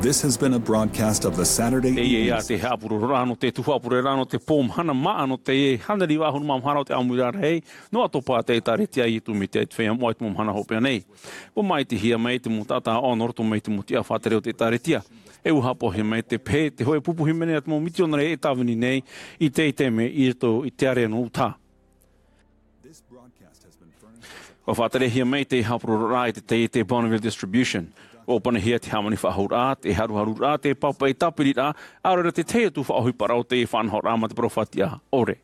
This has been a broadcast of the Saturday Evening. Teie te haʻapuroroʻa nō te tuhaʻa pureraʻa nō te pō mahana māʻa nō te hānere iva ʻahuru mā maha o te ʻāmuiraʻa rahi, nō Atopa te ʻĒtārētia i Tumite i te feiā moʻa i te mau mahana hopeʻa nei. Ua māʻitihia mai te mau taʻata ʻāʻau nō roto mai i te mau tiʻa faʻatere o te ʻĒtārētia. E ua haʻapaʻohia mai te pehe, te hōʻē pupu hīmene a te mau mitionare e tāvini nei i te taime i roto i te ārea nō Utaha. Ua faʻaterehia mai te haʻapuroroʻa i te taiete Bonneville Distribution. Ua ʻōpuahia te hāmani faʻahou raʻa, te haruharuraʻa, te pāpaʻi tāpiriraʻa, ʻaore rā te tahi atu faʻaʻohiparaʻa o te faʻanahoraʻa mā te parau faʻatiʻa ʻore.